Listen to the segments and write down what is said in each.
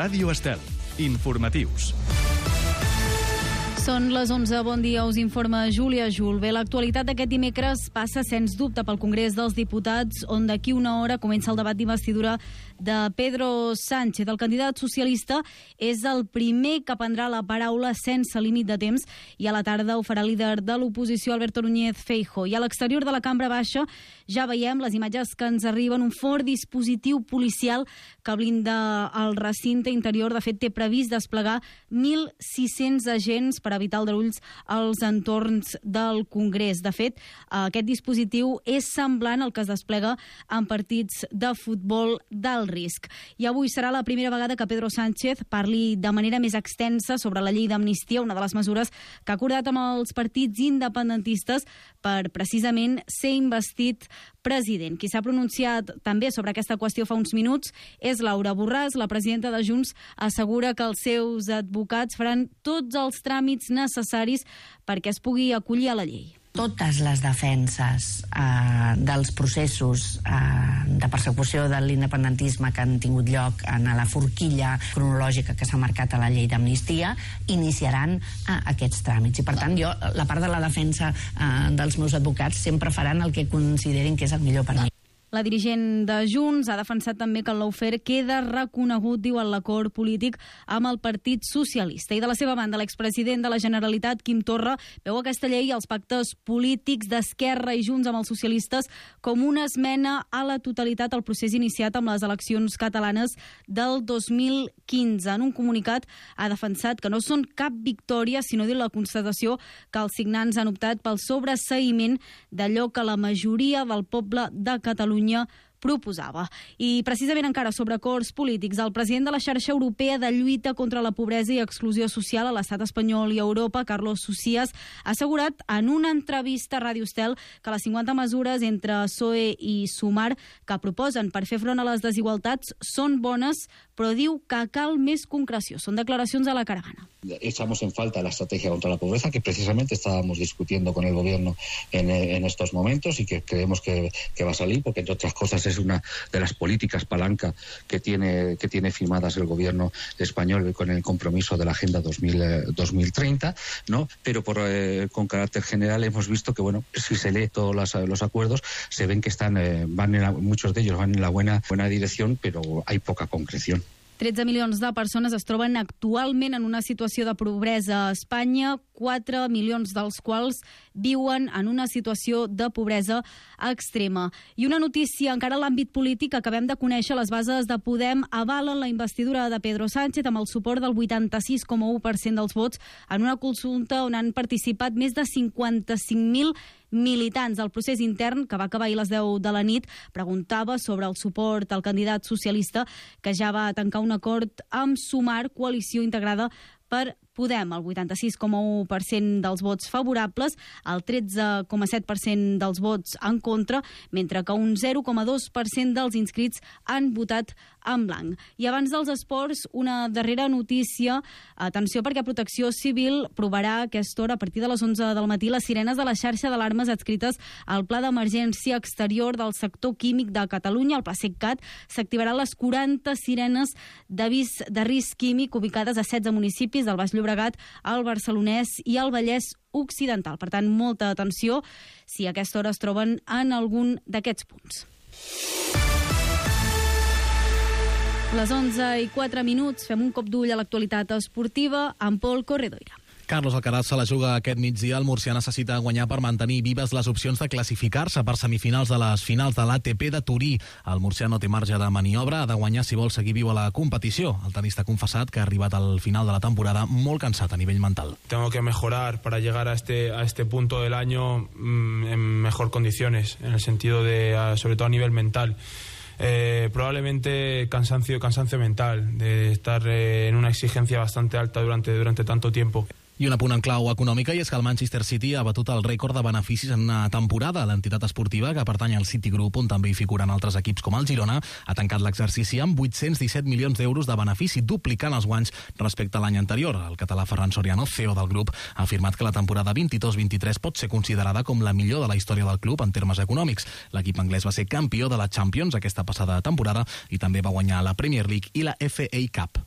Ràdio Estel. Informatius. Són les 11, bon dia, us informa Júlia Jul. Bé, l'actualitat d'aquest dimecres passa sens dubte pel Congrés dels Diputats, on d'aquí una hora comença el debat d'investidura de Pedro Sánchez. El candidat socialista és el primer que prendrà la paraula sense límit de temps i a la tarda ho farà el líder de l'oposició, Alberto Núñez Feijóo. I a l'exterior de la Cambra Baixa ja veiem les imatges que ens arriben, un fort dispositiu policial que blinda el recinte interior. De fet, té previst desplegar 1.600 agents per evitar aldarulls als entorns del Congrés. De fet, aquest dispositiu és semblant al que es desplega en partits de futbol d'alt risc. I avui serà la primera vegada que Pedro Sánchez parli de manera més extensa sobre la llei d'amnistia, una de les mesures que ha acordat amb els partits independentistes per precisament ser investit president. Qui s'ha pronunciat també sobre aquesta qüestió fa uns minuts és Laura Borràs. La presidenta de Junts assegura que els seus advocats faran tots els tràmits necessaris perquè es pugui acollir a la llei. Totes les defenses dels processos de persecució de l'independentisme que han tingut lloc en la forquilla cronològica que s'ha marcat a la llei d'amnistia iniciaran aquests tràmits. I per tant, jo, la part de la defensa dels meus advocats sempre faran el que considerin que és el millor per a mi. La dirigent de Junts ha defensat també que el lawfare queda reconegut, diu, en l'acord polític amb el Partit Socialista. I de la seva banda, l'expresident de la Generalitat, Quim Torra, veu aquesta llei i els pactes polítics d'Esquerra i Junts amb els socialistes com una esmena a la totalitat al procés iniciat amb les eleccions catalanes del 2015. En un comunicat ha defensat que no són cap victòria, sinó, diu, la constatació que els signants han optat pel sobreseïment d'allò que la majoria del poble de Catalunya proposava. I precisament encara sobre acords polítics, el president de la xarxa europea de lluita contra la pobresa i exclusió social a l'estat espanyol i a Europa, Carlos Socias, ha assegurat en una entrevista a Ràdio Estel que les 50 mesures entre PSOE i Sumar que proposen per fer front a les desigualtats són bones, però diu que cal més concreció. Són declaracions a La Caravana. Echamos en falta la estrategia contra la pobreza que precisamente estábamos discutiendo con el gobierno en estos momentos y que creemos que va a salir, porque entre otras cosas es una de las políticas palanca que tiene firmadas el gobierno español con el compromiso de la Agenda 2030, ¿no? Pero con carácter general hemos visto que, bueno, si se lee todos los acuerdos, se ven que muchos de ellos van en la buena dirección, pero hay poca concreción. 13 milions de persones es troben actualment en una situació de pobresa a Espanya, 4 milions dels quals viuen en una situació de pobresa extrema. I una notícia encara a l'àmbit polític: acabem de conèixer les bases de Podem avalen la investidura de Pedro Sánchez amb el suport del 86,1% dels vots en una consulta on han participat més de 55.000 militants. El procés intern, que va acabar ahir a les 10 de la nit, preguntava sobre el suport al candidat socialista, que ja va tancar un acord amb Sumar, coalició integrada per Podem, el 86,1% dels vots favorables, el 13,7% dels vots en contra, mentre que un 0,2% dels inscrits han votat en blanc. I abans dels esports, una darrera notícia. Atenció, perquè Protecció Civil provarà a aquesta hora, a partir de les 11 del matí, les sirenes de la xarxa d'alarmes adscrites al Pla d'Emergència Exterior del Sector Químic de Catalunya, el PLACECCAT. S'activaran les 40 sirenes d'avís de risc químic ubicades a 16 municipis del Baix Llobregat, al Barcelonès i al Vallès Occidental. Per tant, molta atenció si a aquesta hora es troben en algun d'aquests punts. Les 11:04, fem un cop d'ull a l'actualitat esportiva amb Pol Corredoira. Carlos Alcaraz se la juga aquest migdia. El murcià necessita guanyar per mantenir vives les opcions de classificar-se per semifinals de les finals de l'ATP de Turí. El murcià no té marge de maniobra, ha de guanyar si vol seguir viu a la competició. El tenista ha confessat que ha arribat al final de la temporada molt cansat a nivell mental. Tengo que mejorar para llegar a este punto del año en mejor condiciones, en el sentido de, sobre todo a nivel mental. Probablemente cansancio mental, de estar en una exigencia bastante alta durante tanto tiempo. I un apunt en clau econòmica, i és que el Manchester City ha batut el rècord de beneficis en una temporada. L'entitat esportiva, que pertany al Citigroup, on també hi figuren altres equips com el Girona, ha tancat l'exercici amb 817 milions d'euros de benefici, duplicant els guanys respecte a l'any anterior. El català Ferran Soriano, CEO del grup, ha afirmat que la temporada 22-23 pot ser considerada com la millor de la història del club en termes econòmics. L'equip anglès va ser campió de la Champions aquesta passada temporada i també va guanyar la Premier League i la FA Cup.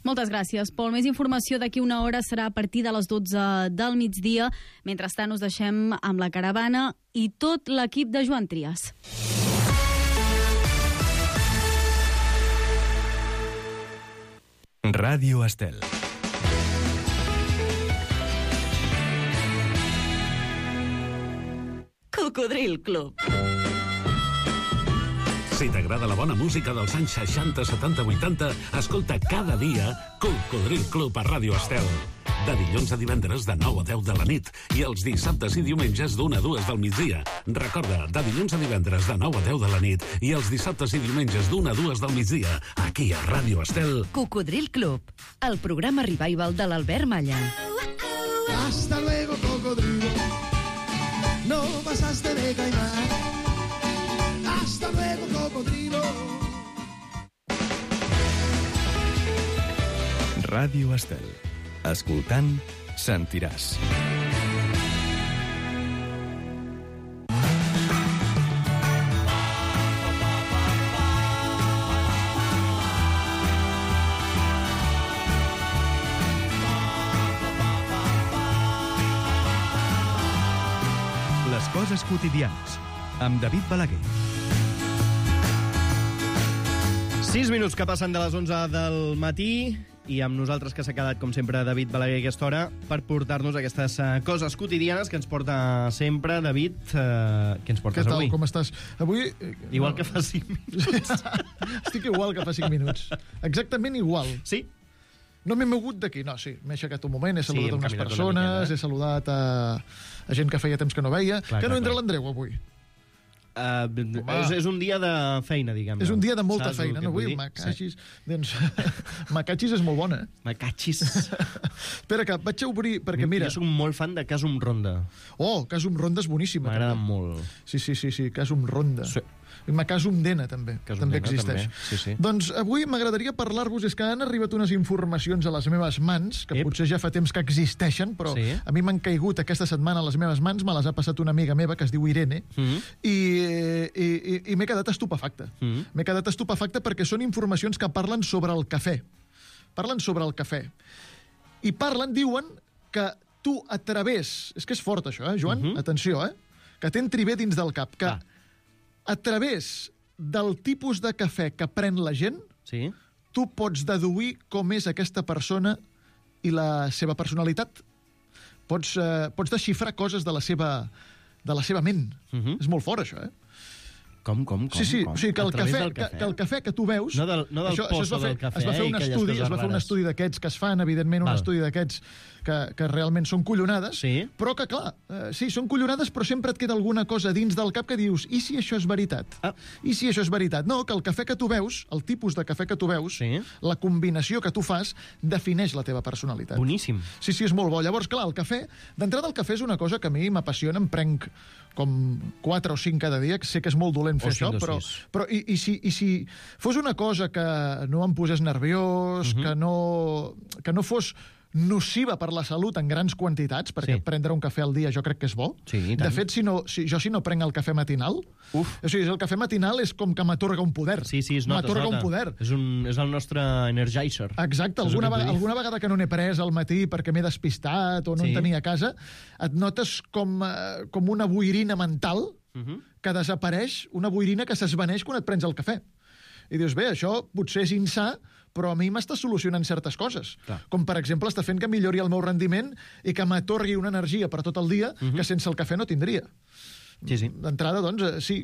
Moltes gràcies, Pol. Més informació d'aquí una hora serà a partir de les 12 del migdia. Mentrestant us deixem amb la caravana i tot l'equip de Joan Trias. Ràdio Estel. Cocodril Club. Si t'agrada la bona música dels anys 60, 70, 80, escolta cada dia Cocodril Club a Ràdio Estel. De dilluns a divendres de 9 a 10 de la nit i els dissabtes i diumenges d'1 a 2 del migdia. Recorda, de dilluns a divendres de 9 a 10 de la nit i els dissabtes i diumenges d'1 a 2 del migdia, aquí a Ràdio Estel. Cocodril Club, el programa revival de l'Albert Malla. Hasta luego, cocodrilo. No pasaste de caimán. Hasta luego, cocodrilo. Ràdio Estel. Escoltant, sentiràs. Les coses quotidianes, amb David Balaguer. 6 minuts que passen de les 11 del matí i amb nosaltres que s'ha quedat, com sempre, David Balaguer a aquesta hora per portar-nos aquestes coses quotidianes que ens porta sempre. David, què ens portes avui? Què tal, com estàs? Avui... Igual que fa 5 minuts. Estic igual que fa 5 minuts. Exactament igual. Sí? No m'he mogut d'aquí, no, sí. M'he aixecat un moment, he saludat unes persones, he saludat a gent que feia temps que no veia. Clar, que no entra l'Andreu avui. És un dia de feina, diguem-ne. És un dia de molta feina, no? Avui, macachis... Doncs, macachis és molt bona, eh? Macachis. Espera, que vaig a obrir, perquè mira... Jo soc molt fan de Casum Ronda. Oh, Casum Ronda és boníssima. M'agrada molt. Sí, Casum Ronda. Sí. I Macasum Dena, també. També existeix. També. Sí. Doncs avui m'agradaria parlar-vos, és que han arribat unes informacions a les meves mans, que potser ja fa temps que existeixen, però a mi m'han caigut aquesta setmana a les meves mans, me les ha passat una amiga meva que es diu Irene, i m'he quedat estupefacte. M'he quedat estupefacte perquè són informacions que parlen sobre el cafè. Parlen sobre el cafè. I diuen que tu a través... És que és fort això, Joan? Atenció, que t'entri bé dins del cap, que a través del tipus de cafè que pren la gent, tu pots deduir com és aquesta persona i la seva personalitat. Pots desxifrar coses de la seva ment. És molt fort, això, Com? Sí, o sigui, que el cafè que tu veus... No del pozo del cafè. Es va fer un estudi d'aquests que es fan, evidentment, un estudi d'aquests que realment són collonades, però que, clar, sí, són collonades, però sempre et queda alguna cosa dins del cap que dius, i si això és veritat? I si això és veritat? No, que el cafè que tu veus, el tipus de cafè que tu veus, la combinació que tu fas, defineix la teva personalitat. Boníssim. Sí, és molt bo. Llavors, clar, el cafè... D'entrada, el cafè és una cosa que a mi m'apassiona, em prenc com 4 o 5 cada dia, que sé que és molt dolent fer això, però i si fos una cosa que no em posés nerviós, que no fos nociva per la salut en grans quantitats, perquè prendre un cafè al dia jo crec que és bo. De fet, si no prenc el cafè matinal, o sigui, el cafè matinal és com que m'atorga un poder. Sí, es nota. M'atorga un poder. És el nostre energizer. Exacte. Alguna vegada que no n'he pres al matí perquè m'he despistat o no en tenia a casa, et notes com una boirina mental que desapareix, una boirina que s'esvaneix quan et prens el cafè. I dius, bé, això potser és insà, però a mi m'està solucionant certes coses. Com, per exemple, està fent que millori el meu rendiment i que m'atorgui una energia per tot el dia que sense el cafè no tindria. D'entrada, doncs, sí,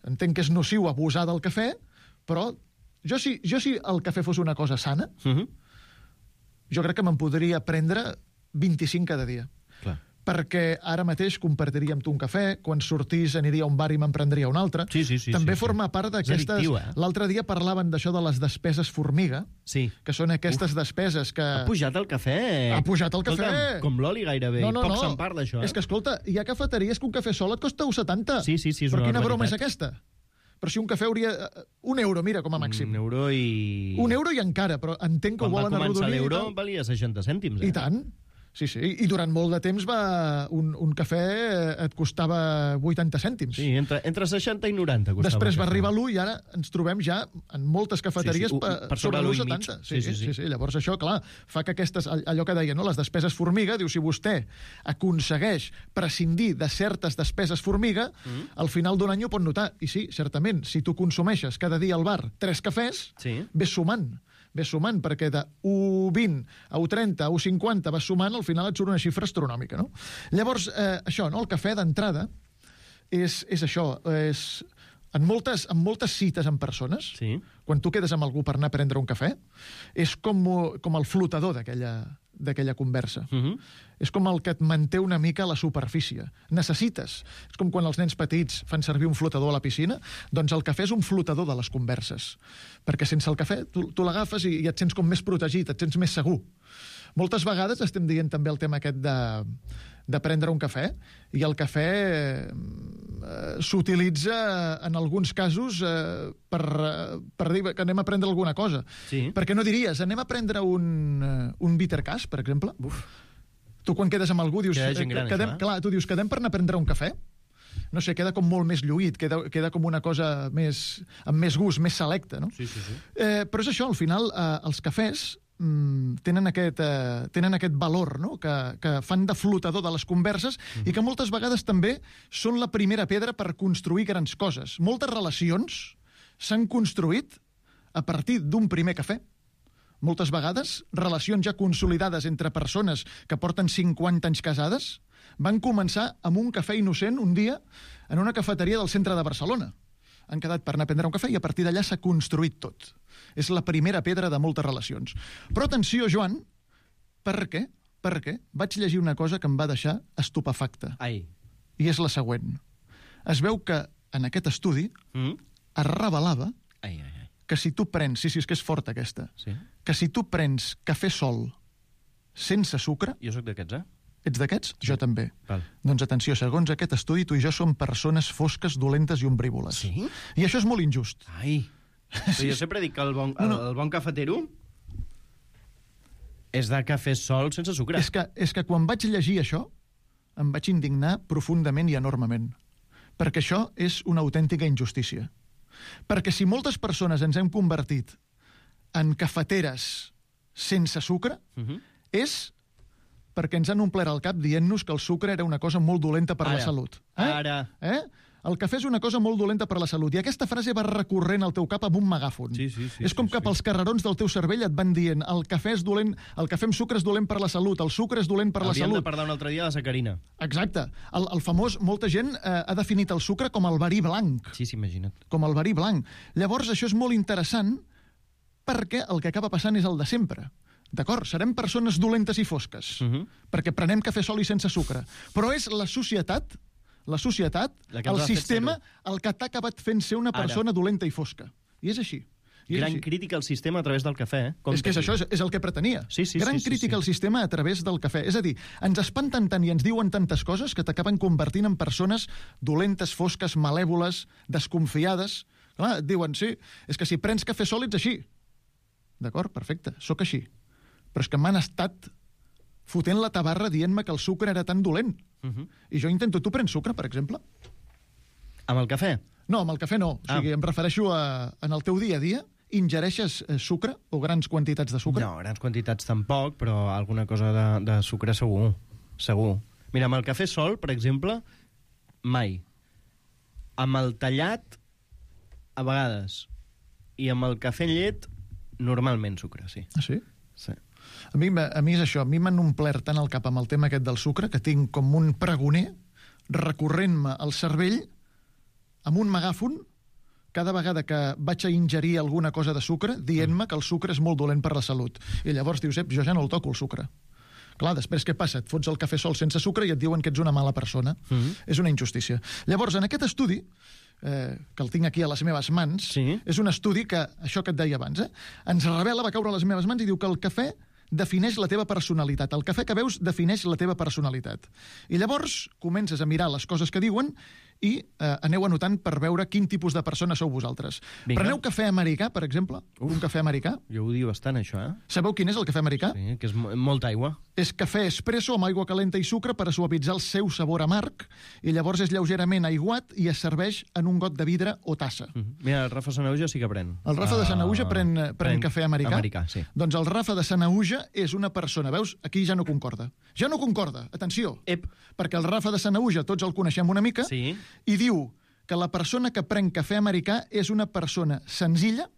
entenc que és nociu abusar del cafè, però jo si el cafè fos una cosa sana, jo crec que me'n podria prendre 25 cada dia. Perquè ara mateix compartiria amb tu un cafè, quan sortís aniria a un bar i me'n prendria un altre. També forma part d'aquestes... L'altre dia parlaven d'això de les despeses formiga, que són aquestes despeses que... Ha pujat el cafè. Ha pujat el cafè. Com l'oli gairebé. Poc se'n parla d'això. És que, escolta, hi ha cafeteries que un cafè sol et costa 1,70. Sí, és però quina broma és aquesta? Però si un cafè hauria... €1, mira, com a màxim. €1 i... €1 i encara, però entenc que ho volen arrodonir. Quan va començar l'euro valia 60 cèntims. I tant. Sí, i durant molt de temps un cafè et costava 80 cèntims. Sí, entre 60 i 90 costava. Després va arribar l'1 i ara ens trobem ja en moltes cafeteries per sobre l'1,70. Sí. Llavors això, clar, fa que aquestes, allò que deia, no? Les despeses formiga, diu, si vostè aconsegueix prescindir de certes despeses formiga, al final d'un any ho pot notar. I sí, certament, si tu consumeixes cada dia al bar 3 cafès, ves sumant, perquè de 1,20 a 1,30 a 1,50 vas sumant, al final et surt una xifra astronòmica, no? Llavors, això, no? El cafè d'entrada és això, en moltes cites amb persones, quan tu quedes amb algú per anar a prendre un cafè, és com el flotador d'aquella conversa. És com el que et manté una mica a la superfície. Necessites. És com quan els nens petits fan servir un flotador a la piscina, doncs el cafè és un flotador de les converses. Perquè sense el cafè tu l'agafes i et sents com més protegit, et sents més segur. Moltes vegades estem dient també el tema aquest de prendre un cafè, i el cafè s'utilitza en alguns casos per dir que anem a prendre alguna cosa. Perquè no diries, anem a prendre un bittercàs, per exemple? Tu quan quedes amb algú dius... tu dius, quedem per anar a prendre un cafè? No sé, queda com molt més lluït, queda com una cosa amb més gust, més selecta, no? Però és això, al final, els cafès tenen aquest valor, no? Que fan de flotador de les converses i que moltes vegades també són la primera pedra per construir grans coses. Moltes relacions s'han construït a partir d'un primer cafè. Moltes vegades, relacions ja consolidades entre persones que porten 50 anys casades van començar amb un cafè innocent un dia en una cafeteria del centre de Barcelona. Han quedat per anar a prendre un cafè i a partir d'allà s'ha construït tot. És la primera pedra de moltes relacions. Però atenció, Joan, per què? Perquè vaig llegir una cosa que em va deixar estupefacte. I és la següent. Es veu que en aquest estudi es revelava que si tu prens... Sí, és que és forta aquesta. Que si tu prens cafè sol sense sucre... Jo sóc d'aquests, Ets d'aquests? Jo també. Doncs atenció, segons aquest estudi, tu i jo som persones fosques, dolentes i ombrívoles. Sí? I això és molt injust. Jo sempre dic que el bon cafetero és de cafè sol sense sucre. És que quan vaig llegir això em vaig indignar profundament i enormement. Perquè això és una autèntica injustícia. Perquè si moltes persones ens hem convertit en cafeteres sense sucre, és perquè ens han omplert el cap dient-nos que el sucre era una cosa molt dolenta per la salut. El cafè és una cosa molt dolenta per la salut. I aquesta frase va recorrent al teu cap amb un megàfon. És com que pels carrerons del teu cervell et van dient el cafè és dolent, el cafè amb sucre és dolent per la salut, el sucre és dolent per la salut. Hauríem de parlar un altre dia de la sacarina. Exacte. El famós, molta gent ha definit el sucre com el verí blanc. Sí, imagina't. Com el verí blanc. Llavors, això és molt interessant perquè el que acaba passant és el de sempre. D'acord? Serem persones dolentes i fosques, perquè prenem cafè sol i sense sucre. Però és la societat, el sistema, el que t'ha acabat fent ser una persona dolenta i fosca. I és així. Gran crítica al sistema a través del cafè. És que això és el que pretenia. Gran crítica al sistema a través del cafè. És a dir, ens espanten tant i ens diuen tantes coses que t'acaben convertint en persones dolentes, fosques, malèvoles, desconfiades. Clar, et diuen, sí, és que si prens cafè sol ets així. D'acord? Perfecte, sóc així. Però és que m'han estat fotent la tabarra dient-me que el sucre era tan dolent. I jo intento... Tu prens sucre, per exemple? Amb el cafè? No, amb el cafè no. O sigui, em refereixo en el teu dia a dia, ingereixes sucre o grans quantitats de sucre? No, grans quantitats tampoc, però alguna cosa de sucre segur. Segur. Mira, amb el cafè sol, per exemple, mai. Amb el tallat, a vegades. I amb el cafè en llet, normalment sucre, sí. Ah, sí? Sí. A mi és això, a mi m'han omplert tant el cap amb el tema aquest del sucre que tinc com un pregoner recorrent-me al cervell amb un megàfon cada vegada que vaig a ingerir alguna cosa de sucre dient-me que el sucre és molt dolent per la salut. I llavors dius, jo ja no el toco, el sucre. Clar, després què passa? Et fots el cafè sol sense sucre i et diuen que ets una mala persona. És una injustícia. Llavors, en aquest estudi, que el tinc aquí a les meves mans, és un estudi que, això que et deia abans, ens revela, va caure a les meves mans i diu que el cafè defineix la teva personalitat. El cafè que veus defineix la teva personalitat. I llavors comences a mirar les coses que diuen i aneu anotant per veure quin tipus de persona sou vosaltres. Vinga. Preneu cafè americà, per exemple? Un cafè americà? Jo ho diu bastant, això, Sabeu quin és el cafè americà? Sí, que és molta aigua. És cafè espresso amb aigua calenta i sucre per a suavitzar el seu sabor amarg, i llavors és lleugerament aiguat i es serveix en un got de vidre o tassa. Mira, el Rafa Sanahuja sí que pren. El Rafa de Sanahuja pren cafè americà? Americà, sí. Doncs el Rafa de Sanahuja és una persona, veus? Aquí ja no concorda. Ja no concorda, atenció. Perquè el Rafa de Sanahuja tots el coneixem una mica, sí. I diu que la persona que pren cafè americà és una persona senzilla.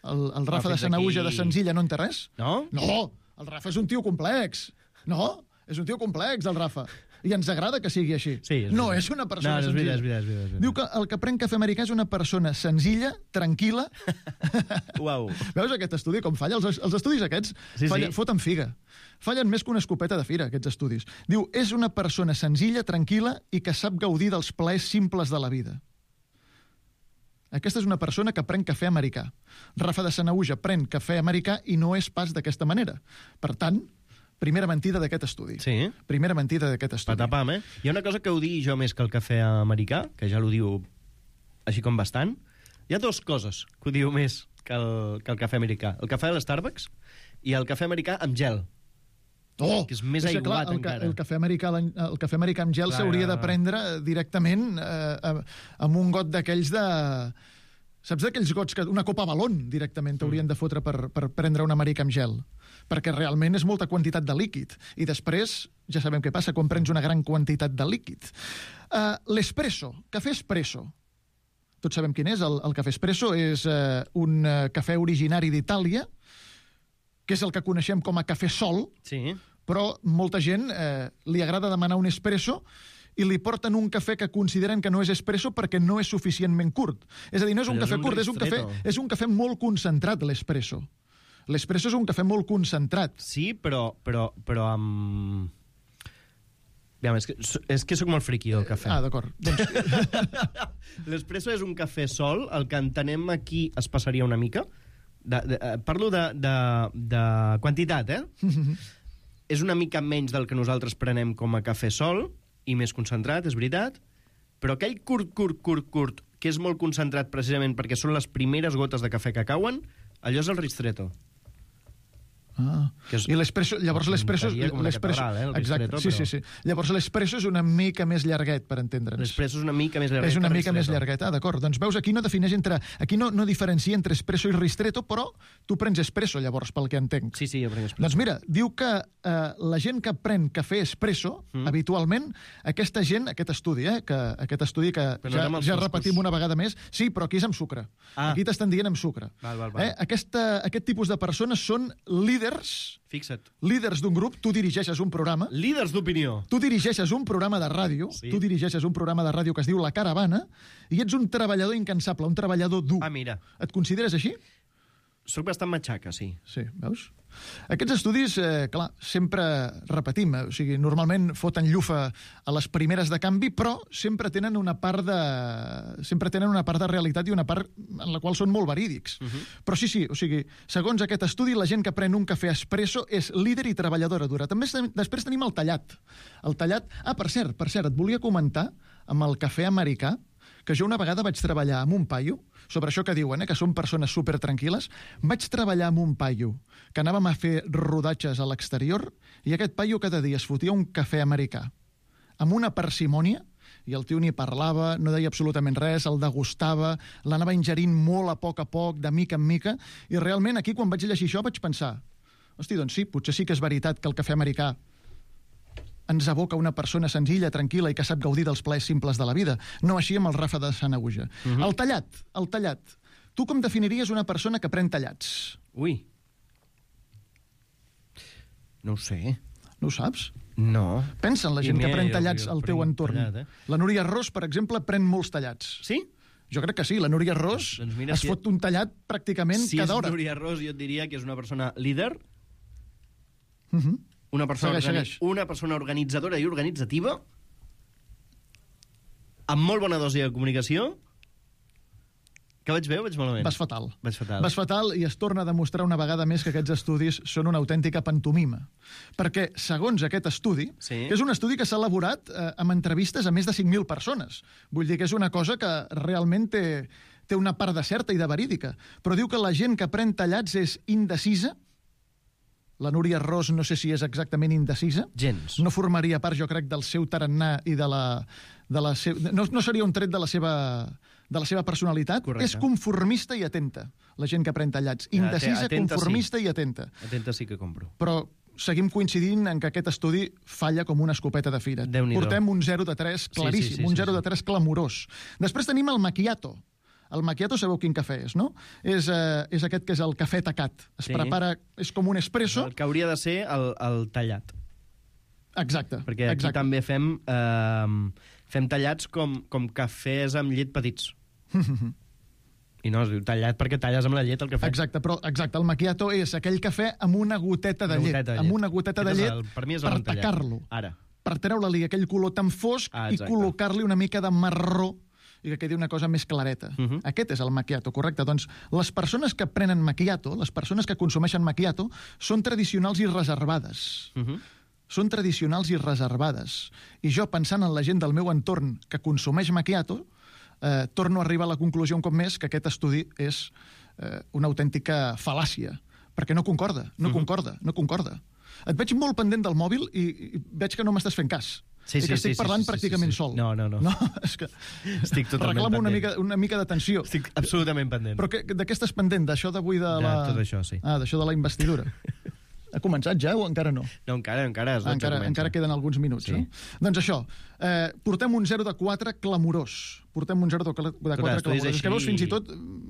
El Rafa de Sanahuja de senzilla no en té res. No? No, el Rafa és un tio complex. No, és un tio complex, el Rafa. I ens agrada que sigui així. Sí, no, és una persona senzilla. És veritat. Diu que el que pren cafè americà és una persona senzilla, tranquil·la. Uau. Veus aquest estudi com falla? Els estudis aquests foten figa. Fallen més que una escopeta de fira, aquests estudis. Diu, és una persona senzilla, tranquil·la i que sap gaudir dels plaers simples de la vida. Aquesta és una persona que pren cafè americà. Rafa de Sanahuja pren cafè americà i no és pas d'aquesta manera. Per tant, primera mentida d'aquest estudi. Sí. Primera mentida d'aquest estudi. Patapam, Hi ha una cosa que ho digui jo més que el cafè americà, que ja l'ho diu així com bastant. Hi ha dues coses que ho diu més que el cafè americà. El cafè de l'Starbucks i el cafè americà amb gel. Que és més aiguat encara. El cafè americà amb gel s'hauria de prendre directament amb un got d'aquells de... Saps d'aquells gots que una copa balón directament t'haurien de fotre per prendre un americà amb gel? Perquè realment és molta quantitat de líquid. I després, ja sabem què passa quan prens una gran quantitat de líquid. L'espresso, cafè espresso. Tots sabem quin és. El cafè espresso és un cafè originari d'Itàlia, que és el que coneixem com a cafè sol, però molta gent li agrada demanar un espresso i li porten un cafè que consideren que no és espresso perquè no és suficientment curt. És a dir, no és un cafè curt, és un cafè molt concentrat, l'espresso. L'espresso és un cafè molt concentrat. Sí, però amb... És que sóc molt friqui del cafè. D'acord. L'espresso és un cafè sol, el que entenem aquí es passaria una mica. Parlo de quantitat, És una mica menys del que nosaltres prenem com a cafè sol, i més concentrat, és veritat, però aquell curt, que és molt concentrat precisament perquè són les primeres gotes de cafè que cauen, allò és el ristretto. I l'espresso, llavors l'espresso... Exacte, sí. Llavors l'espresso és una mica més llarguet, per entendre'ns. L'espresso és una mica més llarguet. És una mica més llarguet, d'acord. Doncs veus, aquí no defineix aquí no diferencia entre espresso i ristretto, però tu prens espresso, llavors, pel que entenc. Sí, jo prenc espresso. Doncs mira, diu que la gent que pren cafè espresso, habitualment, aquesta gent, aquest estudi que ja repetim una vegada més, sí, però aquí és amb sucre. Aquí t'estan dient amb sucre. Aquest tipus de persones són líders d'un grup. Tu dirigeixes un programa. Líders d'opinió. Tu dirigeixes un programa de ràdio. Sí. Tu dirigeixes un programa de ràdio que es diu La Caravana i ets un treballador incansable, un treballador dur. Mira. Et consideres així? Soc bastant matxaca, sí. Sí, veus? Aquests estudis, clar, sempre repetim, o sigui, normalment foten llufa a les primeres de canvi, però sempre tenen una part de realitat i una part en la qual són molt verídics. Però sí, o sigui, segons aquest estudi, la gent que pren un cafè espresso és líder i treballadora dura. També després tenim el tallat. Per cert, et volia comentar amb el cafè americà que jo una vegada vaig treballar amb un paio, sobre això que diuen, que són persones supertranquil·les, vaig treballar amb un paio que anàvem a fer rodatges a l'exterior i aquest paio cada dia es fotia un cafè americà amb una parsimònia i el tio ni parlava, no deia absolutament res, el degustava, l'anava ingerint molt a poc, de mica en mica, i realment aquí quan vaig llegir això vaig pensar, hosti, doncs sí, potser sí que és veritat que el cafè americà ens aboca una persona senzilla, tranquil·la i que sap gaudir dels plaers simples de la vida. No així amb el Rafa de Sanahuja. El tallat. Tu com definiries una persona que pren tallats? Ui. No ho sé. No ho saps? No. Pensa en la gent que pren tallats al teu entorn. La Núria Ros, per exemple, pren molts tallats. Sí? Jo crec que sí. La Núria Ros es fot un tallat pràcticament cada hora. Si és Núria Ros, jo et diria que és una persona líder, una persona organitzadora i organitzativa, amb molt bona dosi de comunicació, Que vaig bé o vaig malament? Vas fatal. Vas fatal i es torna a demostrar una vegada més que aquests estudis són una autèntica pantomima. Perquè, segons aquest estudi, que és un estudi que s'ha elaborat amb entrevistes a més de 5.000 persones. Vull dir que és una cosa que realment té una part de certa i de verídica. Però diu que la gent que pren tallats és indecisa. La Núria Ros no sé si és exactament indecisa. Gens. No formaria part, jo crec, del seu tarannà i de la seva... No seria un tret de la seva personalitat. Correcte. És conformista i atenta, la gent que pren tallats. Indecisa, conformista i atenta. Atenta sí que compro. Però seguim coincidint en que aquest estudi falla com una escopeta de fira. Portem un 0 de 3 claríssim, un 0 de 3 clamorós. Després tenim el macchiato. El macchiato sabeu quin cafè és, no? És aquest que és el cafè tacat. Es prepara, és com un espresso. El que hauria de ser el tallat. Exacte. Perquè aquí també fem tallats com cafès amb llet petits. I no, es diu tallat perquè talles amb la llet el cafè. Exacte, el macchiato és aquell cafè amb una goteta de llet. Amb una goteta de llet per tacar-lo. Ara. Per treure-li aquell color tan fosc i col·locar-li una mica de marró i que quedi una cosa més clareta. Aquest és el macchiato, correcte. Doncs les persones que prenen macchiato, les persones que consumeixen macchiato, són tradicionals i reservades. Són tradicionals i reservades. I jo, pensant en la gent del meu entorn que consumeix macchiato, torno a arribar a la conclusió un cop més que aquest estudi és una autèntica fal·làcia, perquè no concorda. Et veig molt pendent del mòbil i veig que no m'estàs fent cas. I que estic parlant pràcticament sol. No. És que estic totalment reclamo pendent. una mica d'atenció. Estic absolutament pendent. Però de què estàs pendent? D'això d'avui de la... Tot això, sí. D'això de la investidura. Ha començat ja o encara no? No, encara. Encara queden alguns minuts. Sí. Doncs això, portem un 0 de 4 clamorós. És que veus, fins i tot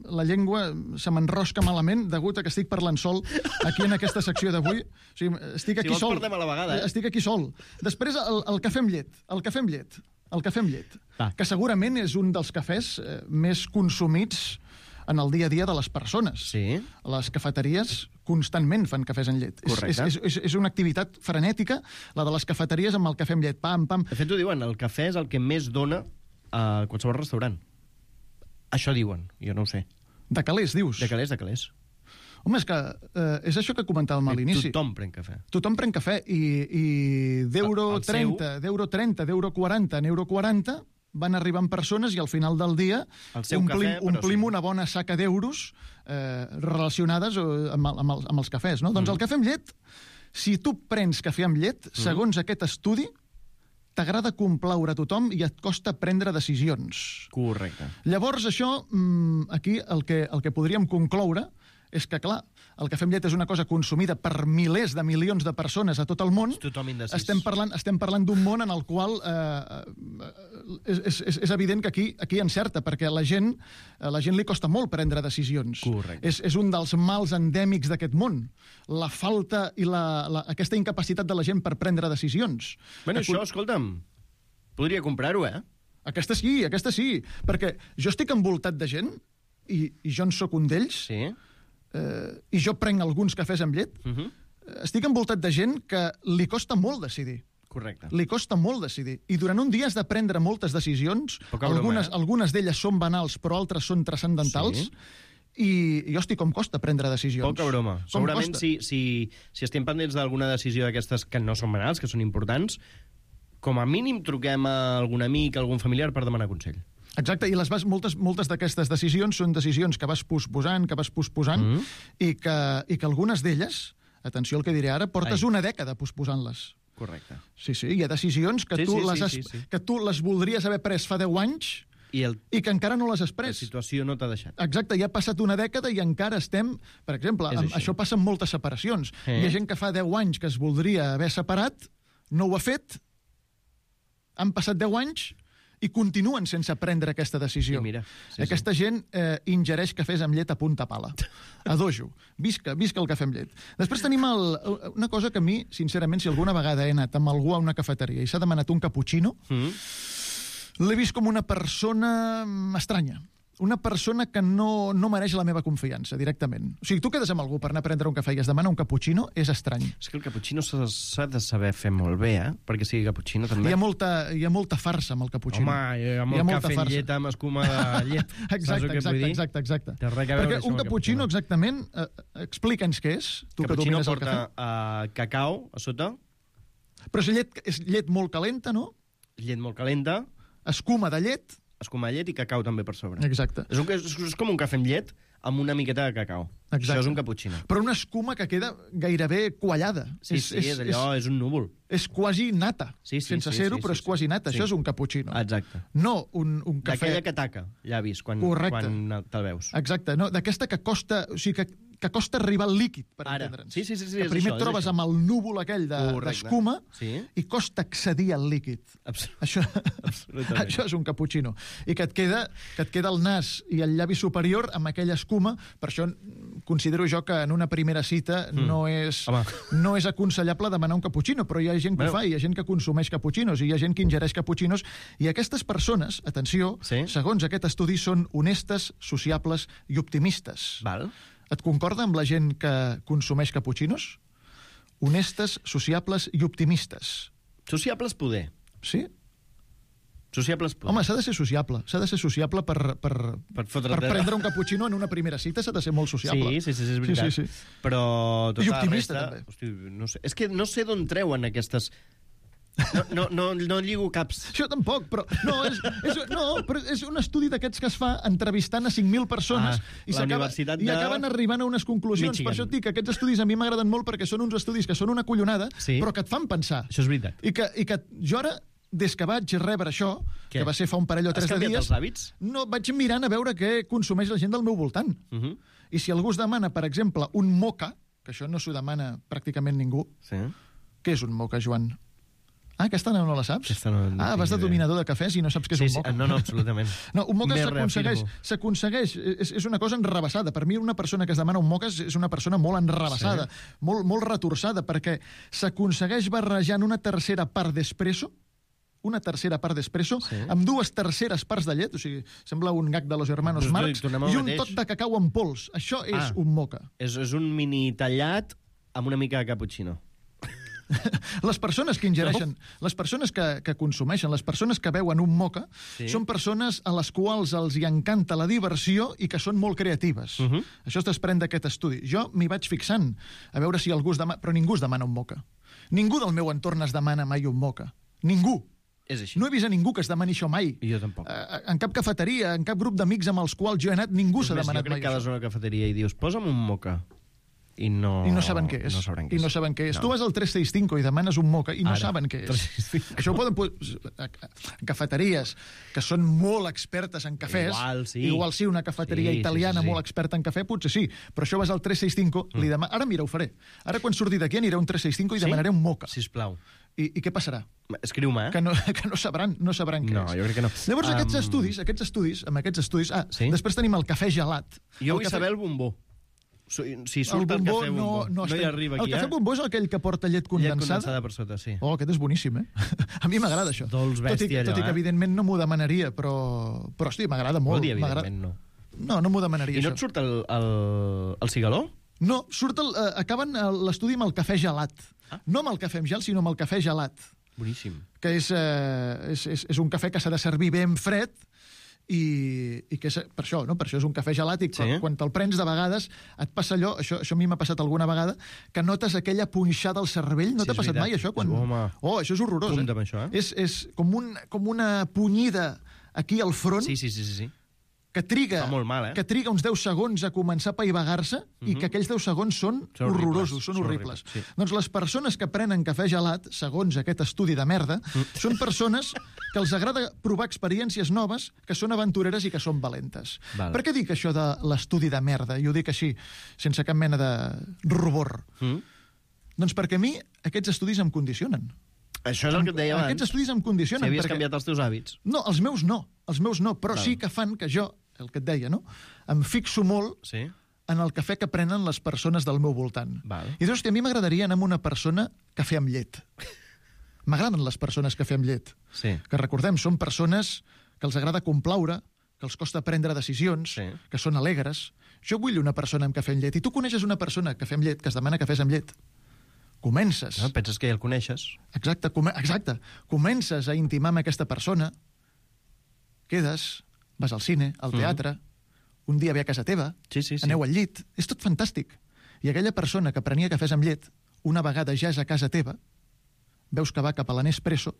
la llengua se m'enrosca malament degut a que estic parlant sol aquí en aquesta secció d'avui. O sigui, estic aquí sol. Parlem a la vegada, Estic aquí sol. Després, el cafè amb llet. El cafè amb llet. Que segurament és un dels cafès més consumits en el dia a dia de les persones. Sí. Les cafeteries constantment fan cafès amb llet. Correcte. És una activitat frenètica, la de les cafeteries amb el cafè amb llet. Pam. De fet, ho diuen, el cafè és el que més dona a qualsevol restaurant. Això diuen, jo no ho sé. De calés, dius? De calés. Home, és que és això que comentàvem a l'inici. Tothom pren cafè. Tothom pren cafè i d'euro 30, d'euro 40, en euro 40 van arribant persones i al final del dia omplim una bona saca d'euros relacionades amb els cafès. No? Doncs el cafè amb llet, si tu prens cafè amb llet, segons aquest estudi, t'agrada complaure a tothom i et costa prendre decisions. Correcte. Llavors, això, aquí el que podríem concloure és que, clar, el cafè amb llet és una cosa consumida per milers de milions de persones a tot el món. Tothom indecís. Estem parlant d'un món en el qual és evident que aquí encerta, perquè a la gent li costa molt prendre decisions. Correcte. És un dels mals endèmics d'aquest món. La falta i aquesta incapacitat de la gent per prendre decisions. Bueno, això, escolta'm, podria comprar-ho, Aquesta sí, perquè jo estic envoltat de gent, i jo en sóc un d'ells, sí. I jo prenc alguns cafès amb llet, estic envoltat de gent que li costa molt decidir. Correcte. Li costa molt decidir. I durant un dia has de prendre moltes decisions, algunes d'elles són banals, però altres són transcendentals, i jo estic com costa prendre decisions. Poca broma. Segurament si estem pendents d'alguna decisió d'aquestes que no són banals, que són importants, com a mínim truquem a algun amic, a algun familiar per demanar consell. Exacte, i moltes d'aquestes decisions són decisions que vas posposant, i que algunes d'elles, atenció al que diré ara, portes una dècada posposant-les. Correcte. Sí, hi ha decisions que tu les voldries haver pres fa 10 anys i que encara no les has pres. La situació no t'ha deixat. Exacte, ja ha passat una dècada i encara estem... Per exemple, això passa amb moltes separacions. Hi ha gent que fa 10 anys que es voldria haver separat, no ho ha fet, han passat 10 anys i continuen sense prendre aquesta decisió. Aquesta gent ingereix cafès amb llet a punta pala. A dojo. Visca el cafè amb llet. Després tenim una cosa que a mi, sincerament, si alguna vegada he anat amb algú a una cafeteria i s'ha demanat un cappuccino, l'he vist com una persona estranya. una persona que no mereix la meva confiança, directament. O sigui, tu quedes amb algú per anar a prendre un cafè i es demana un cappuccino, és estrany. És que el cappuccino s'ha de saber fer molt bé, perquè sigui cappuccino també. Hi ha molta farsa amb el cappuccino. Home, amb el cafè amb llet, amb escuma de llet. Exacte. Perquè un cappuccino, exactament, explica'ns què és, tu que domines el cafè. Cappuccino porta cacau a sota. Però és llet molt calenta, no? Llet molt calenta. Escuma de llet. Escuma de llet i cacau també per sobre. Exacte. És com un cafè amb llet amb una miqueta de cacau. Exacte. Això és un cappuccino. Però una escuma que queda gairebé quallada. Sí, d'allò és un núvol. És quasi nata. Sense ser-ho, però és quasi nata. Això és un cappuccino. Exacte. No un cafè... D'aquella que taca llavis quan te'l veus. Exacte. No, d'aquesta que costa... O sigui, que costa arribar al líquid, per entendre'ns. Sí, que primer et trobes amb el núvol aquell d'escuma i costa accedir al líquid. Això és un cappuccino. I que et queda el nas i el llavi superior amb aquella escuma. Per això considero jo que en una primera cita no és aconsellable demanar un cappuccino, però hi ha gent que ho fa, hi ha gent que consumeix cappuccinos, i hi ha gent que ingereix cappuccinos, i aquestes persones, atenció, segons aquest estudi, són honestes, sociables i optimistes. Val. Et concorda amb la gent que consumeix cappuccinos? Honestes, sociables i optimistes. Sociables poder. Sí? Sociables poder. Home, s'ha de ser sociable. S'ha de ser sociable per prendre un cappuccino en una primera cita, s'ha de ser molt sociable. Sí, és veritat. Sí. Però tota i optimista, la resta, també. Hosti, no sé. És que no sé d'on treuen aquestes... No lligo caps. Això tampoc, però però és un estudi d'aquests que es fa entrevistant a 5.000 persones i acaben arribant a unes conclusions. Michigan. Per això et dic que aquests estudis a mi m'agraden molt perquè són uns estudis que són una collonada, però que et fan pensar. Això és veritat. I que jo ara, des que vaig rebre això, que va ser fa un parell o 3 de dies... Has canviat els hàbits? No, vaig mirant a veure què consumeix la gent del meu voltant. I si algú es demana, per exemple, un moca, que això no s'ho demana pràcticament ningú, què és un moca, Joan? Aquesta no la saps? Vas de dominador de cafès i no saps què és un moca. No, absolutament. No, un moca s'aconsegueix, és una cosa enrabassada. Per mi una persona que es demana un moca és una persona molt enrabassada, molt retorçada, perquè s'aconsegueix barrejant una tercera part d'espresso amb 2 terceres parts de llet, o sigui, sembla un gag de los hermanos Marx, i un toc de cacau en pols. Això és un moca. És un mini tallat amb una mica de cappuccino. Les persones que ingereixen, les persones que consumeixen, les persones que veuen un moca, són persones a les quals els hi encanta la diversió i que són molt creatives. Això es desprèn d'aquest estudi. Jo m'hi vaig fixant a veure si algú es demana... Però ningú es demana un moca. Ningú del meu entorn es demana mai un moca. Ningú. És així. No he vist a ningú que es demani això mai. I jo tampoc. En cap cafeteria, en cap grup d'amics amb els quals jo he anat, ningú s'ha demanat mai això. Jo crec que vas a una cafeteria i dius, posa'm un moca. I no saben què és. No saben què és. Tu vas al 365 i demanes un moca i no saben què és. Això ho poden... En cafeteries que són molt expertes en cafès, igual sí, una cafeteria italiana molt experta en cafè, potser sí, però això vas al 365, ara mira, ho faré. Ara quan surti d'aquí aniré a un 365 i demanaré un moca. Sisplau. I què passarà? Escriu-me, Que no sabran què és. No, jo crec que no. Llavors, aquests estudis... Després tenim el cafè gelat. Jo vull saber el bombó. Si surt el cafè bombó, no hi arriba aquí. El cafè bombó és aquell que porta llet condensada? Llet condensada per sota, sí. Oh, aquest és boníssim, A mi m'agrada això. Dolç bèstia, allò, Tot i que, evidentment, no m'ho demanaria, però hosti, m'agrada molt. Vol dir, evidentment, no. No m'ho demanaria, això. I no et surt el cigaló? No, acaben l'estudi amb el cafè gelat. No amb el cafè amb gel, sinó amb el cafè gelat. Boníssim. Que és un cafè que s'ha de servir ben fred, i que per això és un cafè gelat, i quan te'l prens de vegades et passa allò, això a mi m'ha passat alguna vegada, que notes aquella punxada al cervell. No t'ha passat mai això? Això és horrorós. Compte amb això, És com una punyida aquí al front. Sí. Que triga uns 10 segons a començar a paivagar-se, i que aquells 10 segons són horrorosos, són horribles. Doncs les persones que prenen cafè gelat, segons aquest estudi de merda, són persones que els agrada provar experiències noves, que són aventureres i que són valentes. Per què dic això de l'estudi de merda? I ho dic així, sense cap mena de rubor. Doncs perquè a mi aquests estudis em condicionen. Això és el que et deia abans. Aquests estudis em condicionen. Si havies canviat els teus hàbits. No, els meus no, però sí que fan que jo, el que et deia, em fixo molt en el cafè que prenen les persones del meu voltant. I doncs, a mi m'agradaria anar amb una persona cafè amb llet. M'agraden les persones cafè amb llet. Que recordem, són persones que els agrada complaure, que els costa prendre decisions, que són alegres. Jo vull una persona amb cafè amb llet. I tu coneixes una persona cafè amb llet que es demana cafès amb llet. Comences... No, penses que ja el coneixes. Exacte. Comences a intimar amb aquesta persona, quedes, vas al cine, al teatre, un dia ve a casa teva, aneu al llit, és tot fantàstic. I aquella persona que prenia cafès amb llet, una vegada ja és a casa teva, veus que va cap a la Nespresso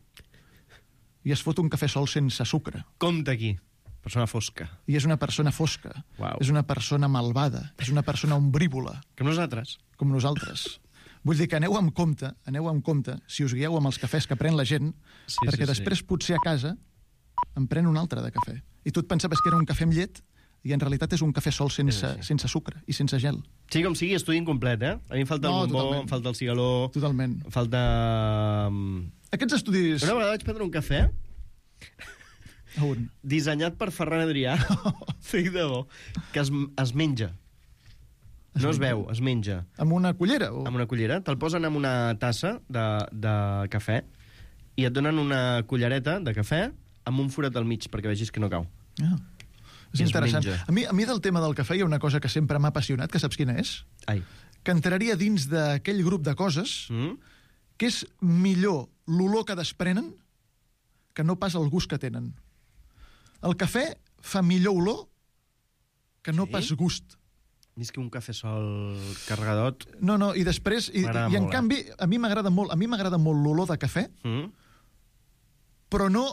i es fot un cafè sol sense sucre. Compte aquí. Persona fosca. I és una persona fosca. Uau. És una persona malvada. És una persona ombrívola. Com nosaltres. Com nosaltres. Vull dir que aneu amb compte, si us guieu amb els cafès que pren la gent, perquè després potser a casa en pren un altre de cafè. I tu et pensaves que era un cafè amb llet i en realitat és un cafè sol sense sucre i sense gel. Sí, com sigui, estudi incomplet, eh? A mi em falta el bombó, em falta el cigaló... Totalment. Em falta... Aquests estudis... Una vegada vaig prendre un cafè... On? Dissenyat per Ferran Adrià, fic de bo, que es menja. No es veu, es menja. Amb una cullera? Amb una cullera. Te'l posen amb una tassa de cafè i et donen una cullereta de cafè amb un forat al mig perquè vegis que no cau. Ah, és interessant. A mi del tema del cafè hi ha una cosa que sempre m'ha apassionat, que saps quina és? Ai. Que entraria dins d'aquell grup de coses que és millor l'olor que desprenen que no pas el gust que tenen. El cafè fa millor olor que no pas gust. Més que un cafè sol carregadot. No, i després... I en canvi, a mi m'agrada molt l'olor de cafè, però no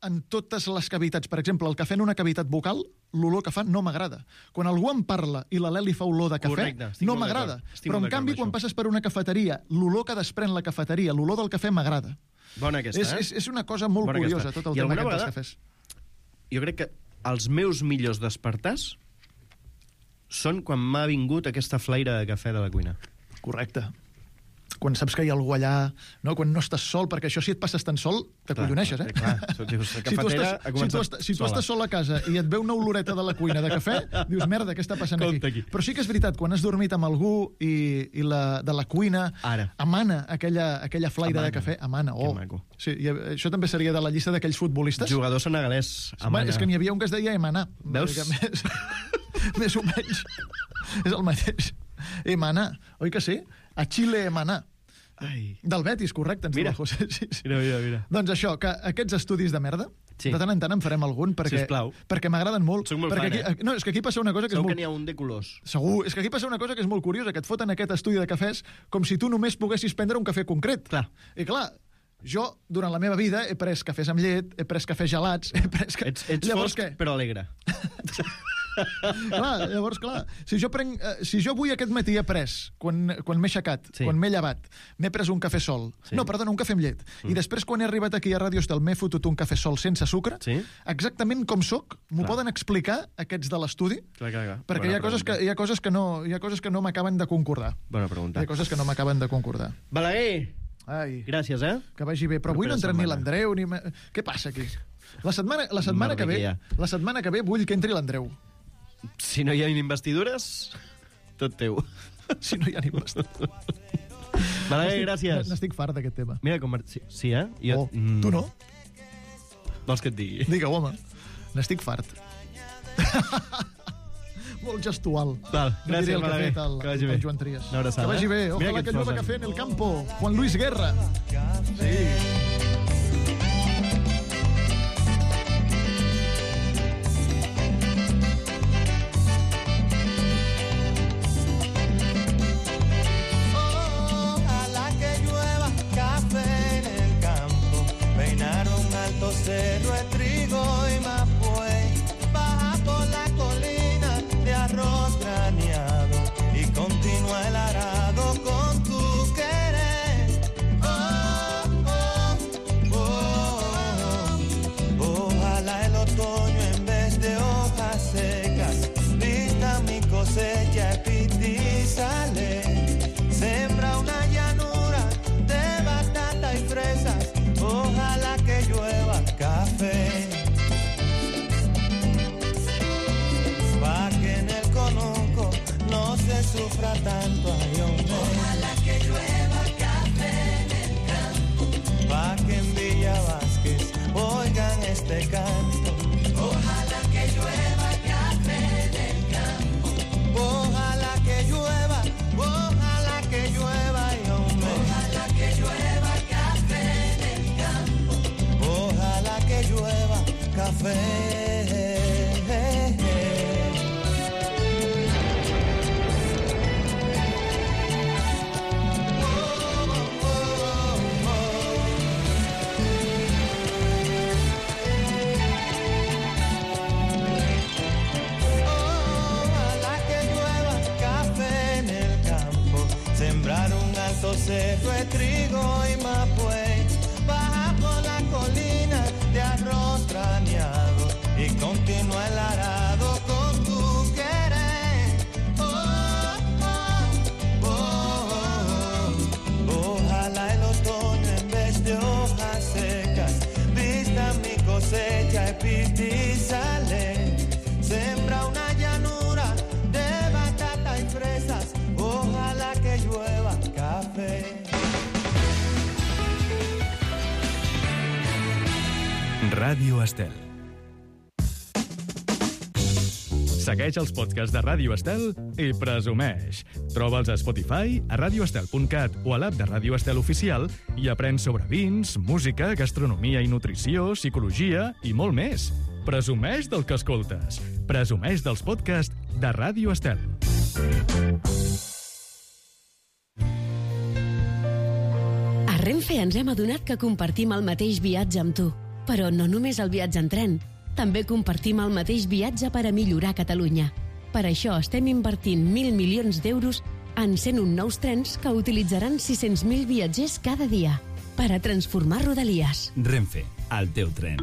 en totes les cavitats. Per exemple, el cafè en una cavitat bucal, l'olor que fa no m'agrada. Quan algú em parla i l'alè li fa olor de cafè, no m'agrada. Però en canvi, quan passes per una cafeteria, l'olor que desprèn la cafeteria, l'olor del cafè m'agrada. Bona aquesta, És una cosa molt curiosa, tot el tema aquest dels cafès. Jo crec que els meus millors despertars són quan m'ha vingut aquesta flaire de cafè de la cuina. Correcte. Quan saps que hi ha algú allà, no? Quan no estàs sol, perquè això si et passes tan sol, t'acolloneixes, eh? Clar, si tu estàs sol a casa i et ve una oloreta de la cuina de cafè, dius, merda, què està passant aquí? Però sí que és veritat, quan has dormit amb algú i de la cuina emana aquella flaire de cafè, emana. Que maco. Sí, i això també seria de la llista d'aquells futbolistes. Jugador senegalès, emana. És que n'hi havia un que es deia Emaná. Veus? Més o menys. És el mateix. Emaná, oi que sí? A Xile Emaná. Del Betis, correcte. Mira. Mira. Doncs això, que aquests estudis de merda, de tant en tant en farem algun, perquè m'agraden molt. Soc molt fan, No, és que aquí passa una cosa que Segur que n'hi ha un de colors. Segur, és que aquí passa una cosa que és molt curiosa, que et foten aquest estudi de cafès com si tu només poguessis prendre un cafè concret. Clar. I clar, jo, durant la meva vida, he pres cafès amb llet, he pres cafès gelats, he pres... Ets fosc, però alegre. Llavors, si jo avui aquest matí he pres, quan m'he aixecat, quan m'he llevat, m'he pres un cafè sol, un cafè amb llet, i després quan he arribat aquí a Ràdio Estel m'he fotut un cafè sol sense sucre, exactament com soc, m'ho poden explicar aquests de l'estudi? Perquè hi ha coses que no m'acaben de concordar. Bona pregunta. Hi ha coses que no m'acaben de concordar. Balaguer! Gràcies, Que vagi bé. Però avui no entra ni l'Andreu, ni... Què passa aquí? La setmana que ve vull que entri l'Andreu. Si no hi ha investidures, tot teu. Si no hi ha investidures. Balaguer, gràcies. N'estic fart d'aquest tema. Mira com... Sí, eh? Tu no? Vols que et digui? Digue-ho, home. N'estic fart. Molt gestual. Val, gràcies, Balaguer. Que vagi bé. Joan Trias. Una abraçada. Que vagi bé. Ojalà que llueva café en el campo. Juan Luis Guerra. Sí. Cerro de trigo y mapuey, baja por la colina de arroz graneado y continúa el arado con tu querer. Ojalá el otoño en vez de hojas secas vista mi cosecha epitizale. Sembra una llanura de batata y fresas. Ojalá que llueva café, pa' que en el conuco no se sufra tanto, ay, hombre. Ojalá que llueva café en el campo, pa' que en Villa Vázquez oigan este canto. Ojalá que alto cerro de trigo y mapue, baja por la colina de arroz graneado y continúa el arado con tu querer. Oh, oh, oh. Ojalá el otoño en vez de hojas secas vista mi cosecha y pistizale. Sembra una llanura de batata y fresas, ojalá que llueva café. Ràdio Estel. Segueix els podcasts de Ràdio Estel i presumeix. Troba'ls a Spotify, a radioestel.cat o a l'app de Ràdio Estel Oficial i aprèn sobre vins, música, gastronomia i nutrició, psicologia i molt més. Presumeix del que escoltes. Presumeix dels podcasts de Ràdio Estel. A Renfe ens hem adonat que compartim el mateix viatge amb tu. Però no només el viatge en tren. També compartim el mateix viatge per a millorar Catalunya. Per això estem invertint 1.000 milions d'euros en 101 nous trens que utilitzaran 600.000 viatgers cada dia per a transformar Rodalies. Renfe, el teu tren.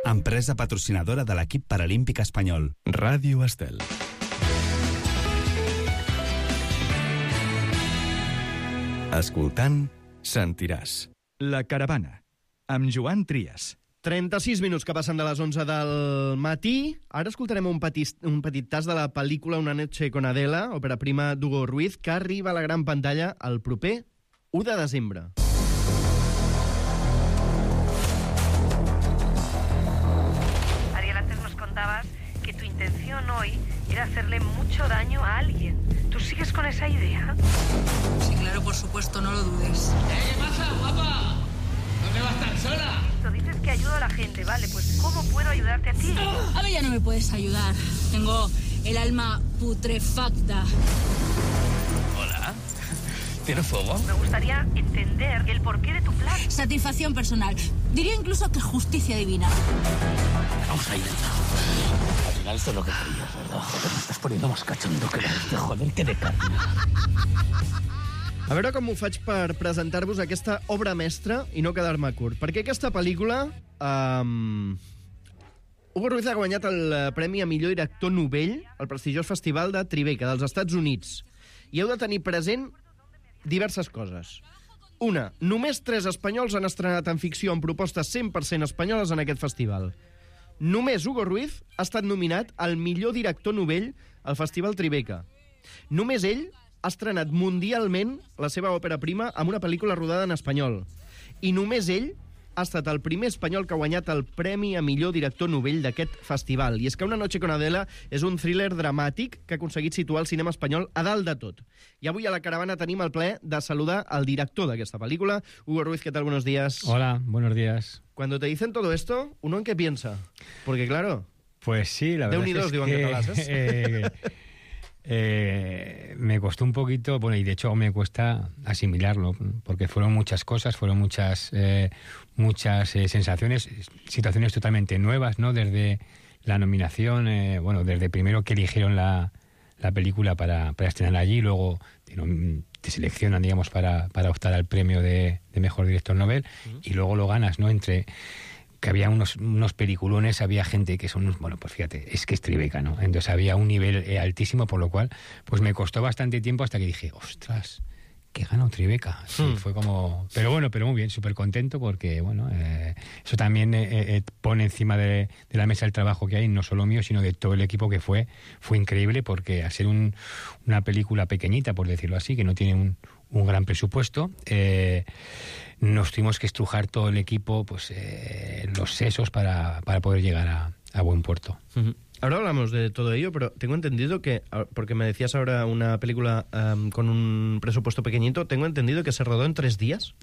Empresa patrocinadora de l'equip paralímpic espanyol. Ràdio Estel. Escoltant, sentiràs. La caravana, amb Joan Trias. 36 minuts que passen de les 11 del matí. Ara escoltarem un petit tas de la pel·lícula Una noche con Adela, òpera prima d'Hugo Ruiz, que arriba a la gran pantalla el proper 1 de desembre. Ariel, antes nos contabas que tu intención hoy era hacerle mucho daño a alguien. ¿Tú sigues con esa idea? Sí, claro, por supuesto, no lo dudes. ¿Qué pasa, guapa? ¿Dónde vas tan sola? Dices que ayudo a la gente, vale, pues ¿cómo puedo ayudarte a ti? A mí ya no me puedes ayudar. Tengo el alma putrefacta. Hola. ¿Tienes fuego? Me gustaría entender el porqué de tu plan. Satisfacción personal. Diría incluso que justicia divina. Vamos a ir. Al final esto es lo que querías, ¿verdad? Joder, me estás poniendo más cachondo que de joder, que de carne. A veure com ho faig per presentar-vos aquesta obra mestra i no quedar-me curt. Perquè aquesta pel·lícula... Hugo Ruiz ha guanyat el Premi a Millor Director Novell al prestigiós Festival de Tribeca, dels Estats Units. I heu de tenir present diverses coses. Una, només 3 espanyols han estrenat en ficció amb propostes 100% espanyoles en aquest festival. Només Hugo Ruiz ha estat nominat al millor director novell al Festival Tribeca. Només ell ha estrenat mundialment la seva òpera prima amb una pel·lícula rodada en espanyol. I només ell ha estat el primer espanyol que ha guanyat el Premi a Millor Director Novell d'aquest festival. I és que Una noche con Adela és un thriller dramàtic que ha aconseguit situar el cinema espanyol a dalt de tot. I avui a la caravana tenim el plaer de saludar al director d'aquesta pel·lícula, Hugo Ruiz. ¿Qué tal? Buenos días. Hola, buenos días. Cuando te dicen todo esto, ¿uno en qué piensa? Porque claro... Pues sí, la verdad es que... me costó un poquito, bueno, y de hecho me cuesta asimilarlo, porque fueron muchas cosas, fueron muchas sensaciones, situaciones totalmente nuevas, ¿no? Desde la nominación, desde primero que eligieron la película para estrenar allí, luego te seleccionan, digamos, para optar al premio de Mejor Director Novel, y luego lo ganas, ¿no? Entre... que había unos peliculones, había gente que son... Bueno, pues fíjate, es que es Tribeca, ¿no? Entonces había un nivel altísimo, por lo cual pues me costó bastante tiempo hasta que dije, ostras, que ganó Tribeca. Sí, fue como... Pero muy bien, súper contento porque, bueno, eso también pone encima de la mesa el trabajo que hay, no solo mío, sino de todo el equipo, que fue increíble, porque al ser una película pequeñita, por decirlo así, que no tiene un gran presupuesto, nos tuvimos que estrujar todo el equipo, pues los sesos para poder llegar a buen puerto. Ahora hablamos de todo ello, pero tengo entendido que, porque me decías ahora una película con un presupuesto pequeñito, tengo entendido que se rodó en 3 días.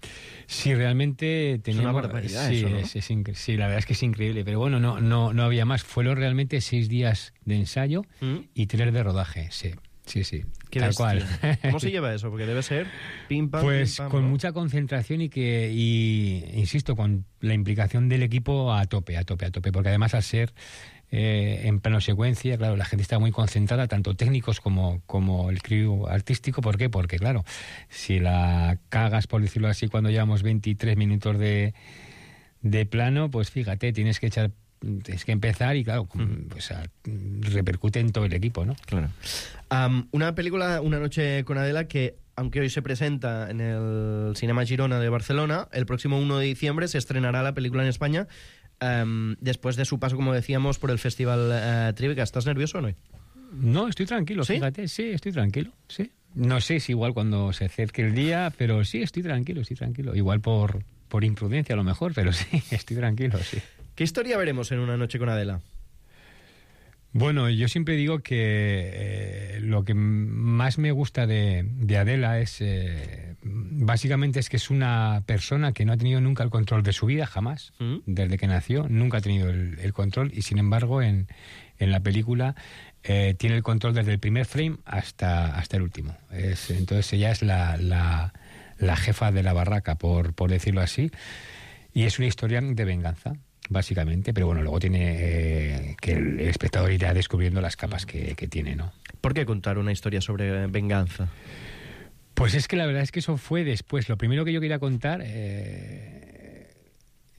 Sí, realmente teníamos... Es una barbaridad, sí, eso, ¿no? Sí, la verdad es que es increíble, pero bueno, no había más. Fueron realmente 6 días de ensayo y 3 de rodaje, sí. Sí, tal cual. ¿Cómo se lleva eso? Porque debe ser pim, pam, pues pim, pam, con ¿no? mucha concentración y insisto, con la implicación del equipo a tope, porque además al ser en plano secuencia, claro, la gente está muy concentrada, tanto técnicos como el crew artístico. ¿Por qué? Porque, claro, si la cagas, por decirlo así, cuando llevamos 23 minutos de plano, pues fíjate, tienes que empezar y, claro, pues repercute en todo el equipo, ¿no? Claro. Una película, Una noche con Adela, que aunque hoy se presenta en el Cinema Girona de Barcelona, el próximo 1 de diciembre se estrenará la película en España, después de su paso, como decíamos, por el Festival Tribeca. ¿Estás nervioso o no? No, estoy tranquilo, ¿sí? Fíjate, sí, estoy tranquilo, sí. No sé si igual cuando se acerque el día, pero sí, estoy tranquilo. Igual por imprudencia a lo mejor, pero sí, estoy tranquilo, sí. ¿Qué historia veremos en Una noche con Adela? Bueno, yo siempre digo que lo que más me gusta de Adela es, básicamente, es que es una persona que no ha tenido nunca el control de su vida, jamás, desde que nació, nunca ha tenido el control, y sin embargo en la película tiene el control desde el primer frame hasta el último. Entonces ella es la jefa de la barraca, por decirlo así, y es una historia de venganza, básicamente, pero bueno, luego tiene que el espectador irá descubriendo las capas que tiene, ¿no? ¿Por qué contar una historia sobre venganza? Pues es que la verdad es que eso fue después. Lo primero que yo quería contar,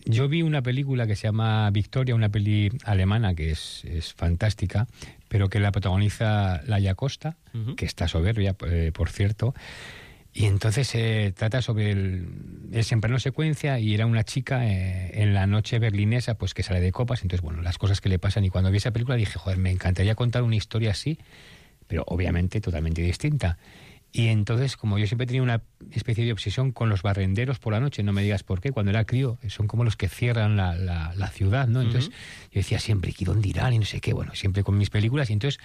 yo vi una película que se llama Victoria, una peli alemana que es fantástica, pero que la protagoniza Laia Costa, que está soberbia, por cierto. Y entonces trata sobre es en plano secuencia, y era una chica en la noche berlinesa, pues que sale de copas. Entonces, bueno, las cosas que le pasan. Y cuando vi esa película dije, joder, me encantaría contar una historia así, pero obviamente totalmente distinta. Y entonces, como yo siempre tenía una especie de obsesión con los barrenderos por la noche, no me digas por qué, cuando era crío, son como los que cierran la ciudad, ¿no? Entonces yo decía siempre, ¿y dónde irán? Y no sé qué, bueno, siempre con mis películas. Y entonces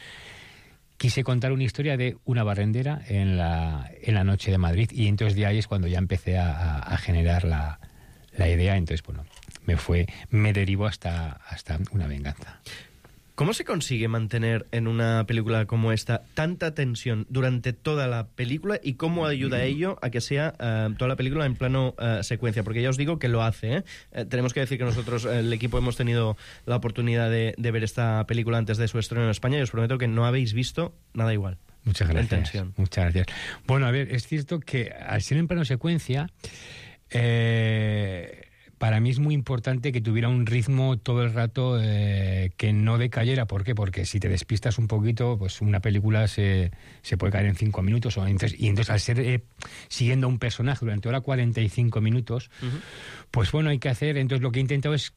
quise contar una historia de una barrendera en la noche de Madrid, y entonces de ahí es cuando ya empecé a generar la idea. Entonces, bueno, me derivó hasta Una venganza. ¿Cómo se consigue mantener en una película como esta tanta tensión durante toda la película, y cómo ayuda ello a que sea toda la película en plano secuencia? Porque ya os digo que lo hace, tenemos que decir que nosotros, el equipo, hemos tenido la oportunidad de ver esta película antes de su estreno en España, y os prometo que no habéis visto nada igual. Muchas gracias. Muchas gracias. Bueno, a ver, es cierto que al ser en plano secuencia, para mí es muy importante que tuviera un ritmo todo el rato, que no decayera. ¿Por qué? Porque si te despistas un poquito, pues una película se puede caer en 5 minutos. Y entonces al ser siguiendo a un personaje durante hora 45 minutos, pues bueno, hay que hacer... Entonces lo que he intentado es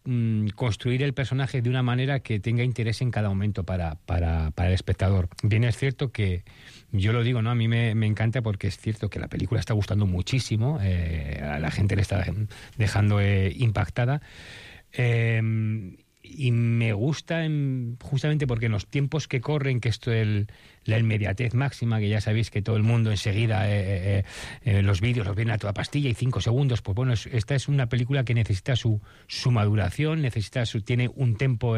construir el personaje de una manera que tenga interés en cada momento para el espectador. Bien, es cierto que yo lo digo, ¿no? A mí me encanta, porque es cierto que la película está gustando muchísimo, a la gente le está dejando impactada, y me gusta justamente porque en los tiempos que corren, que esto la inmediatez máxima, que ya sabéis que todo el mundo enseguida los vídeos los ven a toda pastilla y 5 segundos, pues bueno, esta es una película que necesita su maduración, tiene un tempo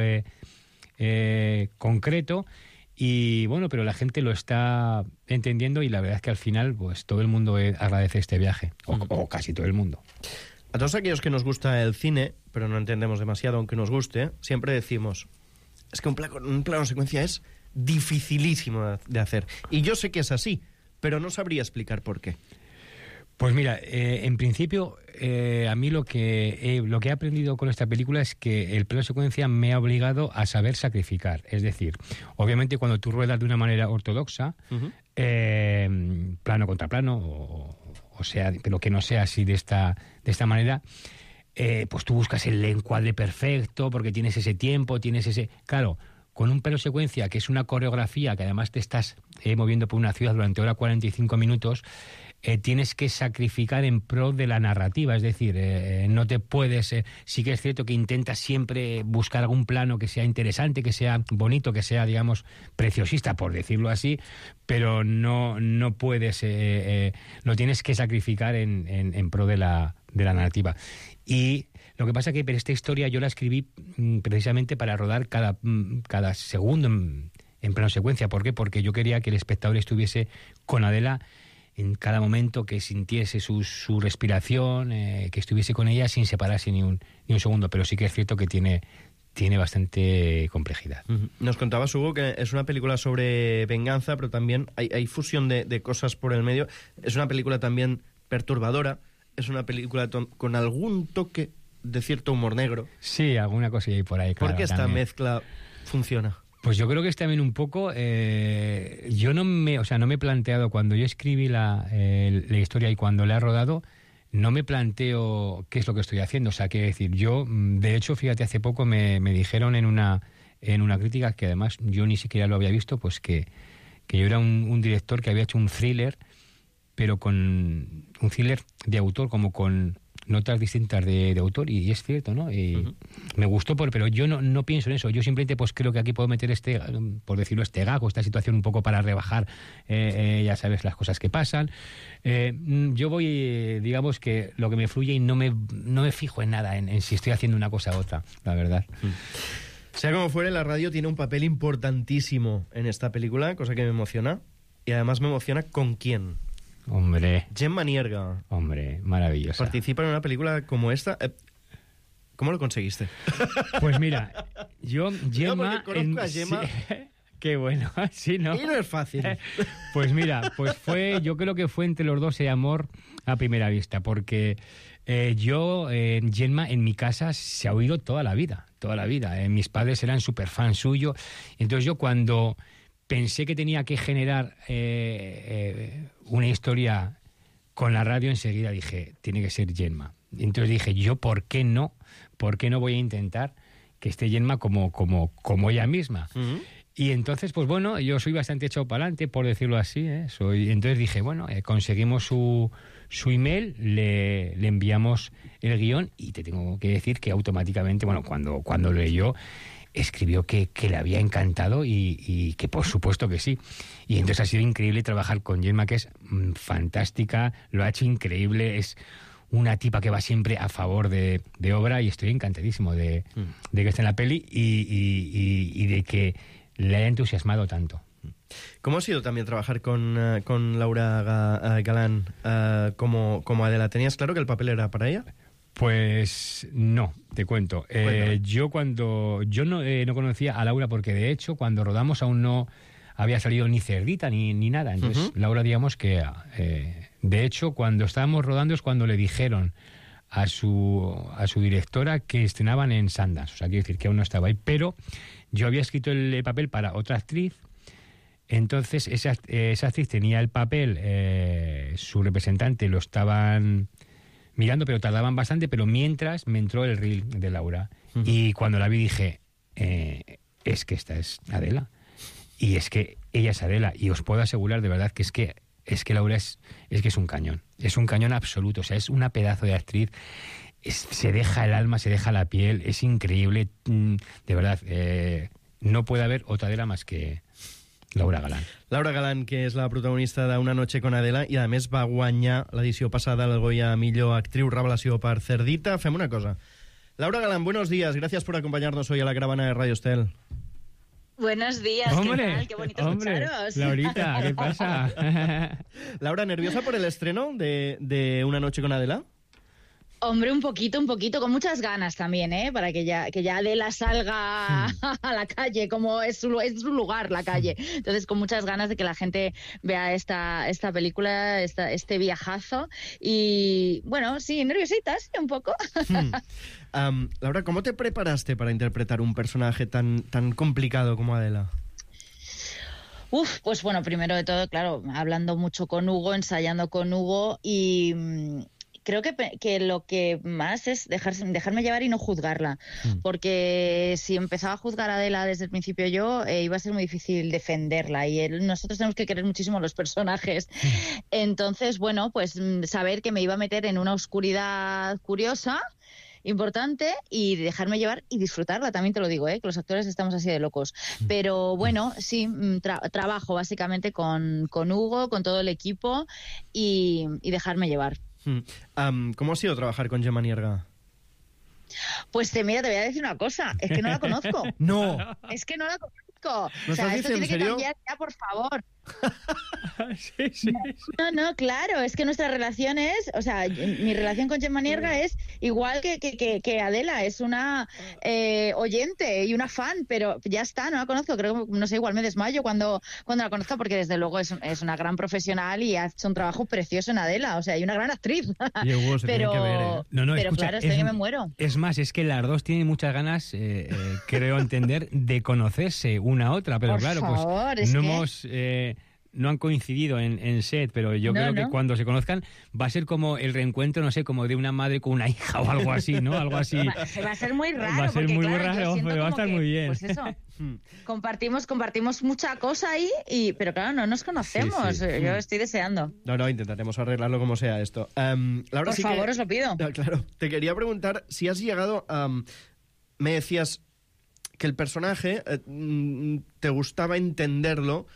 concreto. Y bueno, pero la gente lo está entendiendo, y la verdad es que al final pues todo el mundo agradece este viaje, o casi todo el mundo. A todos aquellos que nos gusta el cine, pero no entendemos demasiado aunque nos guste, siempre decimos, es que un plano secuencia es dificilísimo de hacer. Y yo sé que es así, pero no sabría explicar por qué. Pues mira, en principio, a mí lo que he aprendido con esta película es que el plano secuencia me ha obligado a saber sacrificar. Es decir, obviamente cuando tú ruedas de una manera ortodoxa, plano contra plano, o sea, pero que no sea así de esta manera, pues tú buscas el encuadre perfecto, porque tienes ese tiempo, Claro, con un plano secuencia, que es una coreografía, que además te estás moviendo por una ciudad durante hora 45 minutos, tienes que sacrificar en pro de la narrativa. Es decir, no te puedes... sí que es cierto que intentas siempre buscar algún plano que sea interesante, que sea bonito, que sea, digamos, preciosista, por decirlo así, pero no puedes... lo tienes que sacrificar en pro de la narrativa. Y lo que pasa que esta historia yo la escribí precisamente para rodar cada segundo en plano secuencia. ¿Por qué? Porque yo quería que el espectador estuviese con Adela en cada momento, que sintiese su respiración, que estuviese con ella sin separarse ni un segundo. Pero sí que es cierto que tiene tiene bastante complejidad. Nos contabas, Hugo, que es una película sobre venganza, pero también hay fusión de cosas por el medio. Es una película también perturbadora, es una película con algún toque de cierto humor negro. Sí, alguna cosilla ahí por ahí, claro. ¿Por qué esta también mezcla funciona? Pues yo creo que es también un poco... yo no me he planteado, cuando yo escribí la historia y cuando la he rodado, no me planteo qué es lo que estoy haciendo. O sea, quiero decir, yo, de hecho, fíjate, hace poco me dijeron en una crítica, que además yo ni siquiera lo había visto, pues que yo era un director que había hecho un thriller, pero con un thriller de autor, como con notas distintas de autor, y es cierto, ¿no? Y me gustó, pero yo no pienso en eso. Yo simplemente pues creo que aquí puedo meter por decirlo, este gag o esta situación un poco para rebajar, ya sabes, las cosas que pasan. Yo voy, digamos que lo que me fluye, y no me fijo en nada, en si estoy haciendo una cosa u otra, la verdad. Sea como fuere, la radio tiene un papel importantísimo en esta película, cosa que me emociona, y además me emociona con quién. Hombre. Gemma Nierga. Hombre, maravillosa. Participa en una película como esta. ¿Cómo lo conseguiste? Pues mira, yo, Gemma... conozco a Gemma... Sí, qué bueno, sí, ¿no? Y no es fácil. Pues mira, yo creo que fue entre los dos amor a primera vista, porque Gemma en mi casa se ha oído toda la vida. Mis padres eran súper fans suyo. Entonces yo, cuando pensé que tenía que generar una historia con la radio, enseguida dije, tiene que ser Gemma. Entonces dije, yo, ¿por qué no voy a intentar que esté Gemma como ella misma? Y entonces, pues bueno, yo soy bastante echado para adelante, por decirlo así, entonces dije, bueno, conseguimos su email, le enviamos el guión, y te tengo que decir que automáticamente, bueno, cuando leyó, escribió que le había encantado y que por supuesto que sí. Y entonces ha sido increíble trabajar con Gemma, que es fantástica, lo ha hecho increíble, es una tipa que va siempre a favor de obra, y estoy encantadísimo de que esté en la peli y de que le haya entusiasmado tanto. ¿Cómo ha sido también trabajar con Laura Galán como Adela? ¿Tenías claro que el papel era para ella? Pues no, te cuento. Yo no conocía a Laura, porque de hecho cuando rodamos aún no había salido ni Cerdita ni nada. Entonces Laura, digamos que de hecho cuando estábamos rodando es cuando le dijeron a su directora que estrenaban en Sundance. O sea, quiero decir que aún no estaba ahí, pero yo había escrito el papel para otra actriz. Entonces esa actriz tenía el papel, su representante lo estaban mirando, pero tardaban bastante, pero mientras me entró el reel de Laura. Y cuando la vi dije, es que esta es Adela. Y es que ella es Adela. Y os puedo asegurar de verdad que es que Laura es que es un cañón. Es un cañón absoluto. O sea, es una pedazo de actriz. Se deja el alma, se deja la piel. Es increíble. De verdad, no puede haber otra Adela más que Laura Galán. Laura Galán, que és la protagonista d'Una noche con Adela, i a més va guanyar l'edició passada el Goya a millor actriu revelació per Cerdita. Fem una cosa. Laura Galán, buenos días. Gracias por acompañarnos hoy a la caravana de Radio Estel. Buenos días, hombre, ¿qué tal? Qué bonito escucharos. Laurita, ¿qué pasa? Laura, ¿nerviosa por el estreno de Una noche con Adela? Hombre, un poquito, con muchas ganas también, para que ya Adela salga a la calle, como es su lugar, la calle. Entonces, con muchas ganas de que la gente vea esta película, este viajazo. Y, bueno, sí, nerviositas, un poco. Laura, ¿cómo te preparaste para interpretar un personaje tan complicado como Adela? Pues bueno, primero de todo, claro, hablando mucho con Hugo, ensayando con Hugo, y creo que lo que más es dejarme llevar y no juzgarla, porque si empezaba a juzgar a Adela desde el principio yo, iba a ser muy difícil defenderla, y nosotros tenemos que querer muchísimo a los personajes. Entonces, bueno, pues saber que me iba a meter en una oscuridad curiosa, importante, y dejarme llevar y disfrutarla, también te lo digo, que los actores estamos así de locos. Pero bueno, sí, trabajo básicamente con Hugo, con todo el equipo, y dejarme llevar. ¿Cómo ha sido trabajar con Gemma Nierga? Pues mira, te voy a decir una cosa, es que no la conozco. No. Es que no la conozco. ¿No estás diciendo en serio? Que cambiar ya, por favor. Sí. No, claro, es que nuestra relación es, o sea, mi relación con Gemma Nierga es igual que Adela, es una oyente y una fan, pero ya está, no la conozco, creo que, no sé, igual me desmayo cuando la conozco, porque desde luego es una gran profesional y ha hecho un trabajo precioso en Adela, o sea, y una gran actriz. Y Hugo, se pero tienen que ver, ¿eh? No, pero escucha, claro, estoy que me muero. Es más, es que las dos tienen muchas ganas, creo entender, de conocerse una a otra, pero Por claro, favor, pues es no que... hemos... no han coincidido en set, pero yo creo que cuando se conozcan va a ser como el reencuentro, no sé, como de una madre con una hija o algo así, ¿no? Algo así. Va a ser muy raro. Va a ser porque, muy claro, raro, pero va a estar muy bien. Pues eso, compartimos mucha cosa ahí, pero claro, no nos conocemos. Sí. Yo estoy deseando. No, intentaremos arreglarlo como sea esto. Laura, Por favor, os lo pido. Claro, te quería preguntar si has llegado a... me decías que el personaje te gustaba entenderlo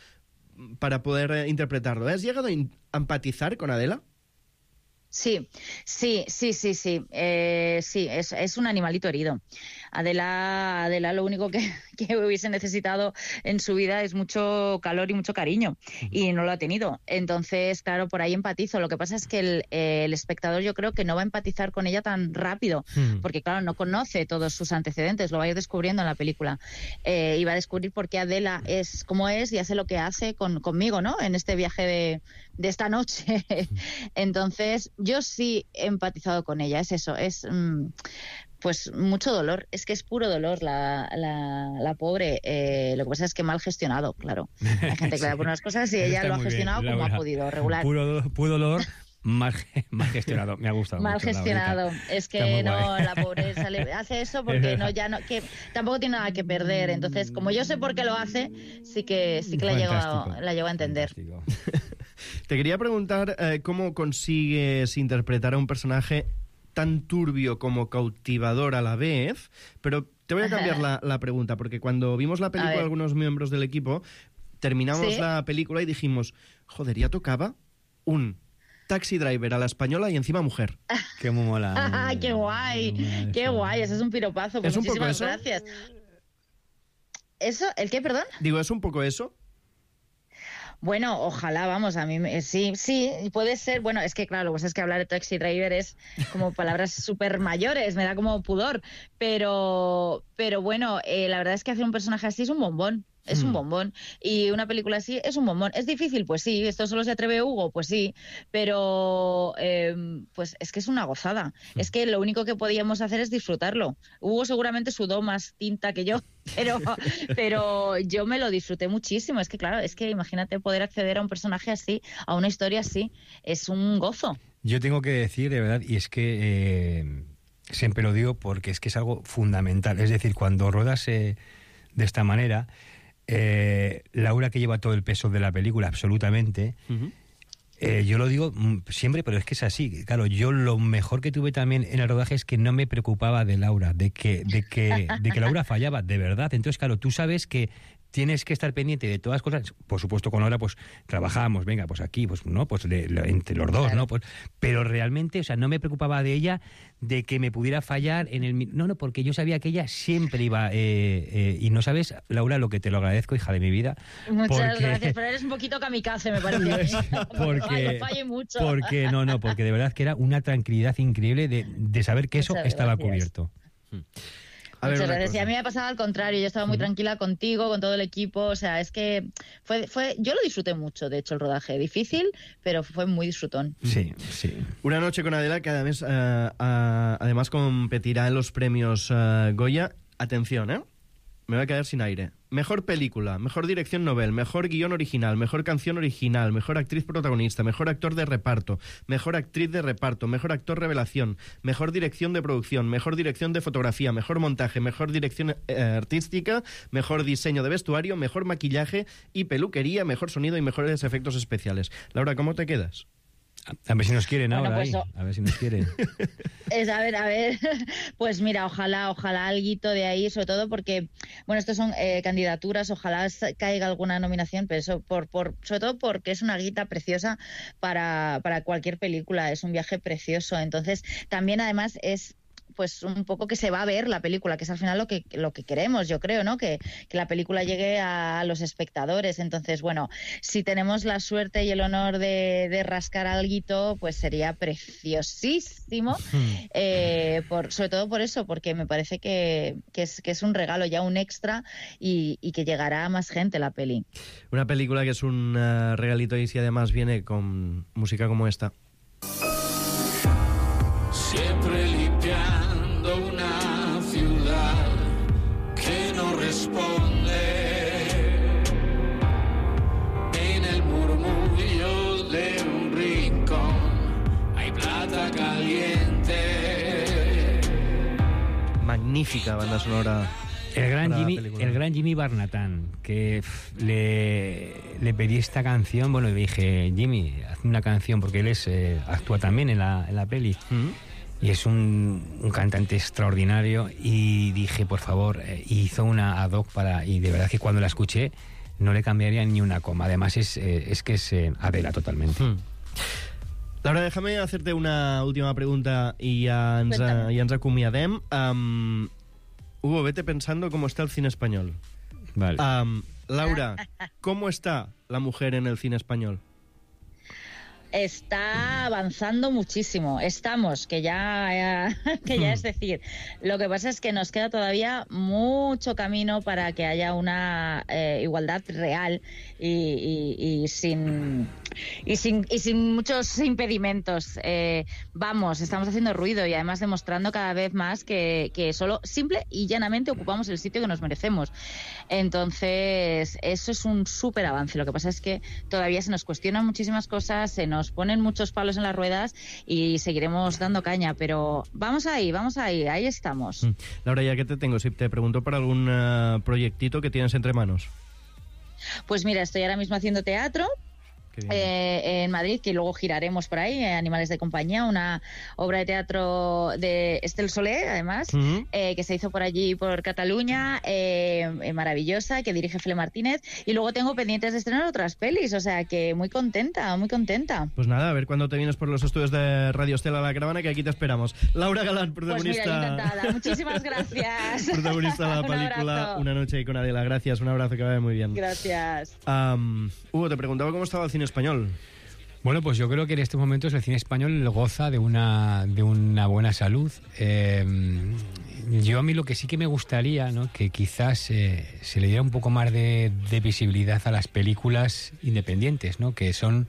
para poder interpretarlo. ¿Has llegado a empatizar con Adela? Sí. Sí, es un animalito herido. Adela lo único que hubiese necesitado en su vida es mucho calor y mucho cariño, y no lo ha tenido. Entonces, claro, por ahí empatizo. Lo que pasa es que el espectador, yo creo que no va a empatizar con ella tan rápido, porque claro, no conoce todos sus antecedentes, lo va a ir descubriendo en la película, y va a descubrir por qué Adela es como es y hace lo que hace conmigo, ¿no? En este viaje de esta noche. Entonces, yo sí he empatizado con ella, es eso, es... pues mucho dolor, es que es puro dolor la pobre. Lo que pasa es que mal gestionado, claro. Hay gente que le da por unas cosas y ella lo ha gestionado bien, como ha podido, regular. Puro dolor, mal gestionado, me ha gustado. Mal mucho, gestionado, es que no, la pobre hace eso porque que tampoco tiene nada que perder. Entonces, como yo sé por qué lo hace, sí que la llevo a entender. Te quería preguntar cómo consigues interpretar a un personaje tan turbio como cautivador a la vez, pero te voy a cambiar la pregunta, porque cuando vimos la película, algunos miembros del equipo, terminamos la película y dijimos, joder, ya tocaba un taxi driver a la española y encima mujer. Qué muy mola. ¡Qué guay! ¡Qué guay! Ese es un piropazo. Pues ¿Es un poco eso? Gracias. ¿Eso? ¿El qué, perdón? Digo, ¿es un poco eso? Bueno, ojalá, vamos, a mí sí, puede ser. Bueno, es que claro, pues es que hablar de taxi driver es como palabras súper mayores, me da como pudor, pero bueno, la verdad es que hacer un personaje así es un bombón. Es un bombón. Y una película así es un bombón. ¿Es difícil? Pues sí. ¿Esto solo se atreve Hugo? Pues sí. Pero pues es que es una gozada. Es que lo único que podíamos hacer es disfrutarlo. Hugo seguramente sudó más tinta que yo, pero yo me lo disfruté muchísimo. Es que claro, imagínate poder acceder a un personaje así, a una historia así. Es un gozo. Yo tengo que decir, de verdad, y es que siempre lo digo porque es que es algo fundamental. Es decir, cuando ruedas de esta manera... Laura, que lleva todo el peso de la película, absolutamente. Yo lo digo siempre, pero es que es así. Claro, yo lo mejor que tuve también en el rodaje es que no me preocupaba de Laura, de que Laura fallaba, de verdad. Entonces, claro, tú sabes que tienes que estar pendiente de todas las cosas. Por supuesto, con Laura, pues trabajamos, venga, pues aquí, pues no, pues entre los dos, ¿no? Pues, pero realmente, o sea, no me preocupaba de ella, de que me pudiera fallar en el... No, porque yo sabía que ella siempre iba... y no sabes, Laura, lo que te lo agradezco, hija de mi vida. Muchas gracias, pero eres un poquito kamikaze, me parece. Porque falle mucho. Porque de verdad que era una tranquilidad increíble de saber que eso estaba cubierto. Muchas gracias. Y a mí me ha pasado al contrario. Yo estaba muy tranquila contigo, con todo el equipo. O sea, es que yo lo disfruté mucho, de hecho, el rodaje. Difícil, pero fue muy disfrutón. Sí. Una noche con Adela que además competirá en los premios Goya. Atención, me voy a quedar sin aire. Mejor película, mejor dirección novel, mejor guión original, mejor canción original, mejor actriz protagonista, mejor actor de reparto, mejor actriz de reparto, mejor actor revelación, mejor dirección de producción, mejor dirección de fotografía, mejor montaje, mejor dirección artística, mejor diseño de vestuario, mejor maquillaje y peluquería, mejor sonido y mejores efectos especiales. Laura, ¿cómo te quedas? A ver si nos quieren ahora, pues, a ver si nos quieren. A ver, pues mira, ojalá alguito de ahí, sobre todo porque, bueno, estos son candidaturas, ojalá caiga alguna nominación, pero eso sobre todo porque es una guita preciosa para cualquier película, es un viaje precioso, entonces también además es pues un poco que se va a ver la película, que es al final lo que queremos, yo creo, ¿no? Que la película llegue a los espectadores. Entonces, bueno, si tenemos la suerte y el honor de rascar alguito, pues sería preciosísimo, sobre todo por eso, porque me parece que es un regalo, ya un extra, y que llegará a más gente la peli. Una película que es un regalito, y si además viene con música como esta. Siempre limpiando una ciudad que no responde. En el murmullo de un rincón hay plata caliente. Magnífica banda sonora. El gran Jimmy Barnatán, que le pedí esta canción, bueno, le dije, Jimmy, haz una canción, porque él actúa también en la peli. Y es un cantante extraordinario, y dije, por favor, hizo una ad hoc y de verdad que cuando la escuché no le cambiaría ni una coma. Además es que es Adela totalmente. Laura, déjame hacerte una última pregunta y ya ens acomiadem. Hugo, vete pensando cómo está el cine español. Vale. Laura, ¿cómo está la mujer en el cine español? Está avanzando muchísimo. Estamos, que ya es decir. Lo que pasa es que nos queda todavía mucho camino para que haya una igualdad real y sin muchos impedimentos. Estamos haciendo ruido y además demostrando cada vez más que solo simple y llanamente ocupamos el sitio que nos merecemos. Entonces, eso es un súper avance. Lo que pasa es que todavía se nos cuestionan muchísimas cosas, se nos ponen muchos palos en las ruedas y seguiremos dando caña, pero vamos ahí estamos. Laura, ya que te tengo, si te pregunto por algún proyectito que tienes entre manos. Pues mira, estoy ahora mismo haciendo teatro en Madrid, que luego giraremos por ahí, Animales de compañía, una obra de teatro de Estel Soler, además, que se hizo por allí, por Cataluña, maravillosa, que dirige Fele Martínez, y luego tengo pendientes de estrenar otras pelis, o sea que muy contenta. Pues nada, a ver cuándo te vienes por los estudios de Radio Estela La Caravana, que aquí te esperamos. Laura Galán, protagonista... Pues mira, encantada. Muchísimas gracias. Protagonista de la película Una noche con Adela. Gracias, un abrazo, que vaya muy bien. Gracias. Hugo, te preguntaba cómo estaba el cine español. Bueno, pues yo creo que en estos momentos el cine español goza de una buena salud. Yo a mí lo que sí que me gustaría, ¿no?, que quizás se le diera un poco más de visibilidad a las películas independientes, ¿no?, que son...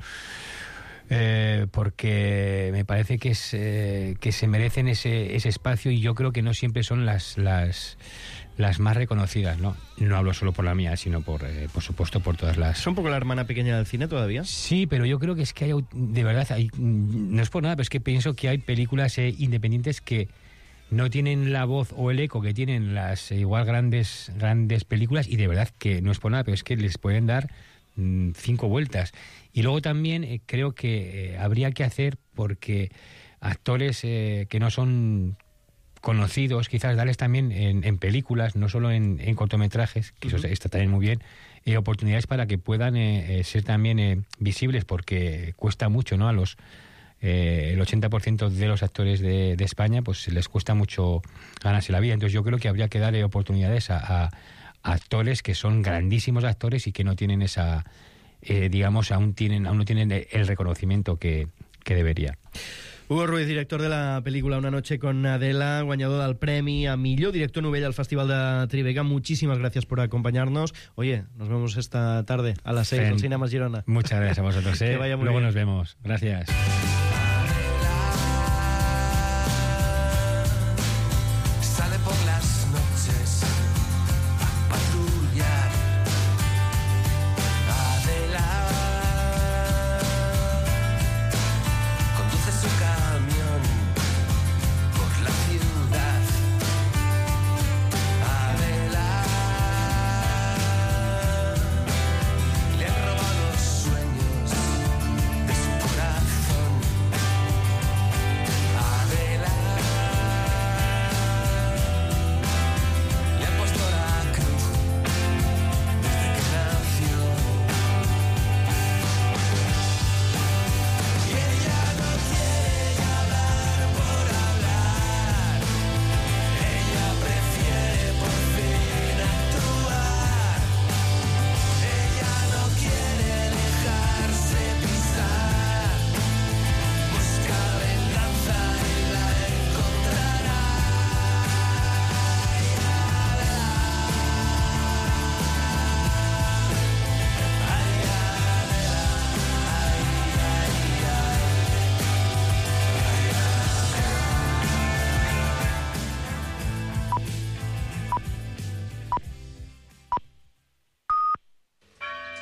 porque me parece que se merecen ese espacio, y yo creo que no siempre son las más reconocidas, ¿no? No hablo solo por la mía, sino por supuesto por todas las... ¿Es un poco la hermana pequeña del cine todavía? Sí, pero yo creo que es que hay, de verdad, no es por nada, pero es que pienso que hay películas independientes que no tienen la voz o el eco que tienen las igual grandes películas, y de verdad que no es por nada, pero es que les pueden dar 5 vueltas. Y luego también creo que habría que hacer, porque actores que no son conocidos, quizás darles también en películas, no solo en cortometrajes, que eso está también muy bien, oportunidades para que puedan ser también visibles, porque cuesta mucho, ¿no? A los el 80% de los actores de España, pues les cuesta mucho ganarse la vida. Entonces yo creo que habría que darle oportunidades a actores que son grandísimos actores y que no tienen esa, digamos, aún no tienen el reconocimiento que debería. Hugo Ruiz, director de la película Una noche con Adela, guanyador del premi a millor director novell al Festival de Tribeca. Muchísimas gracias por acompañarnos. Oye, nos vemos esta tarde a las 6 en Cinemas Girona. Muchas gracias a vosotros. Que vaya muy Luego bien. nos vemos. Gracias.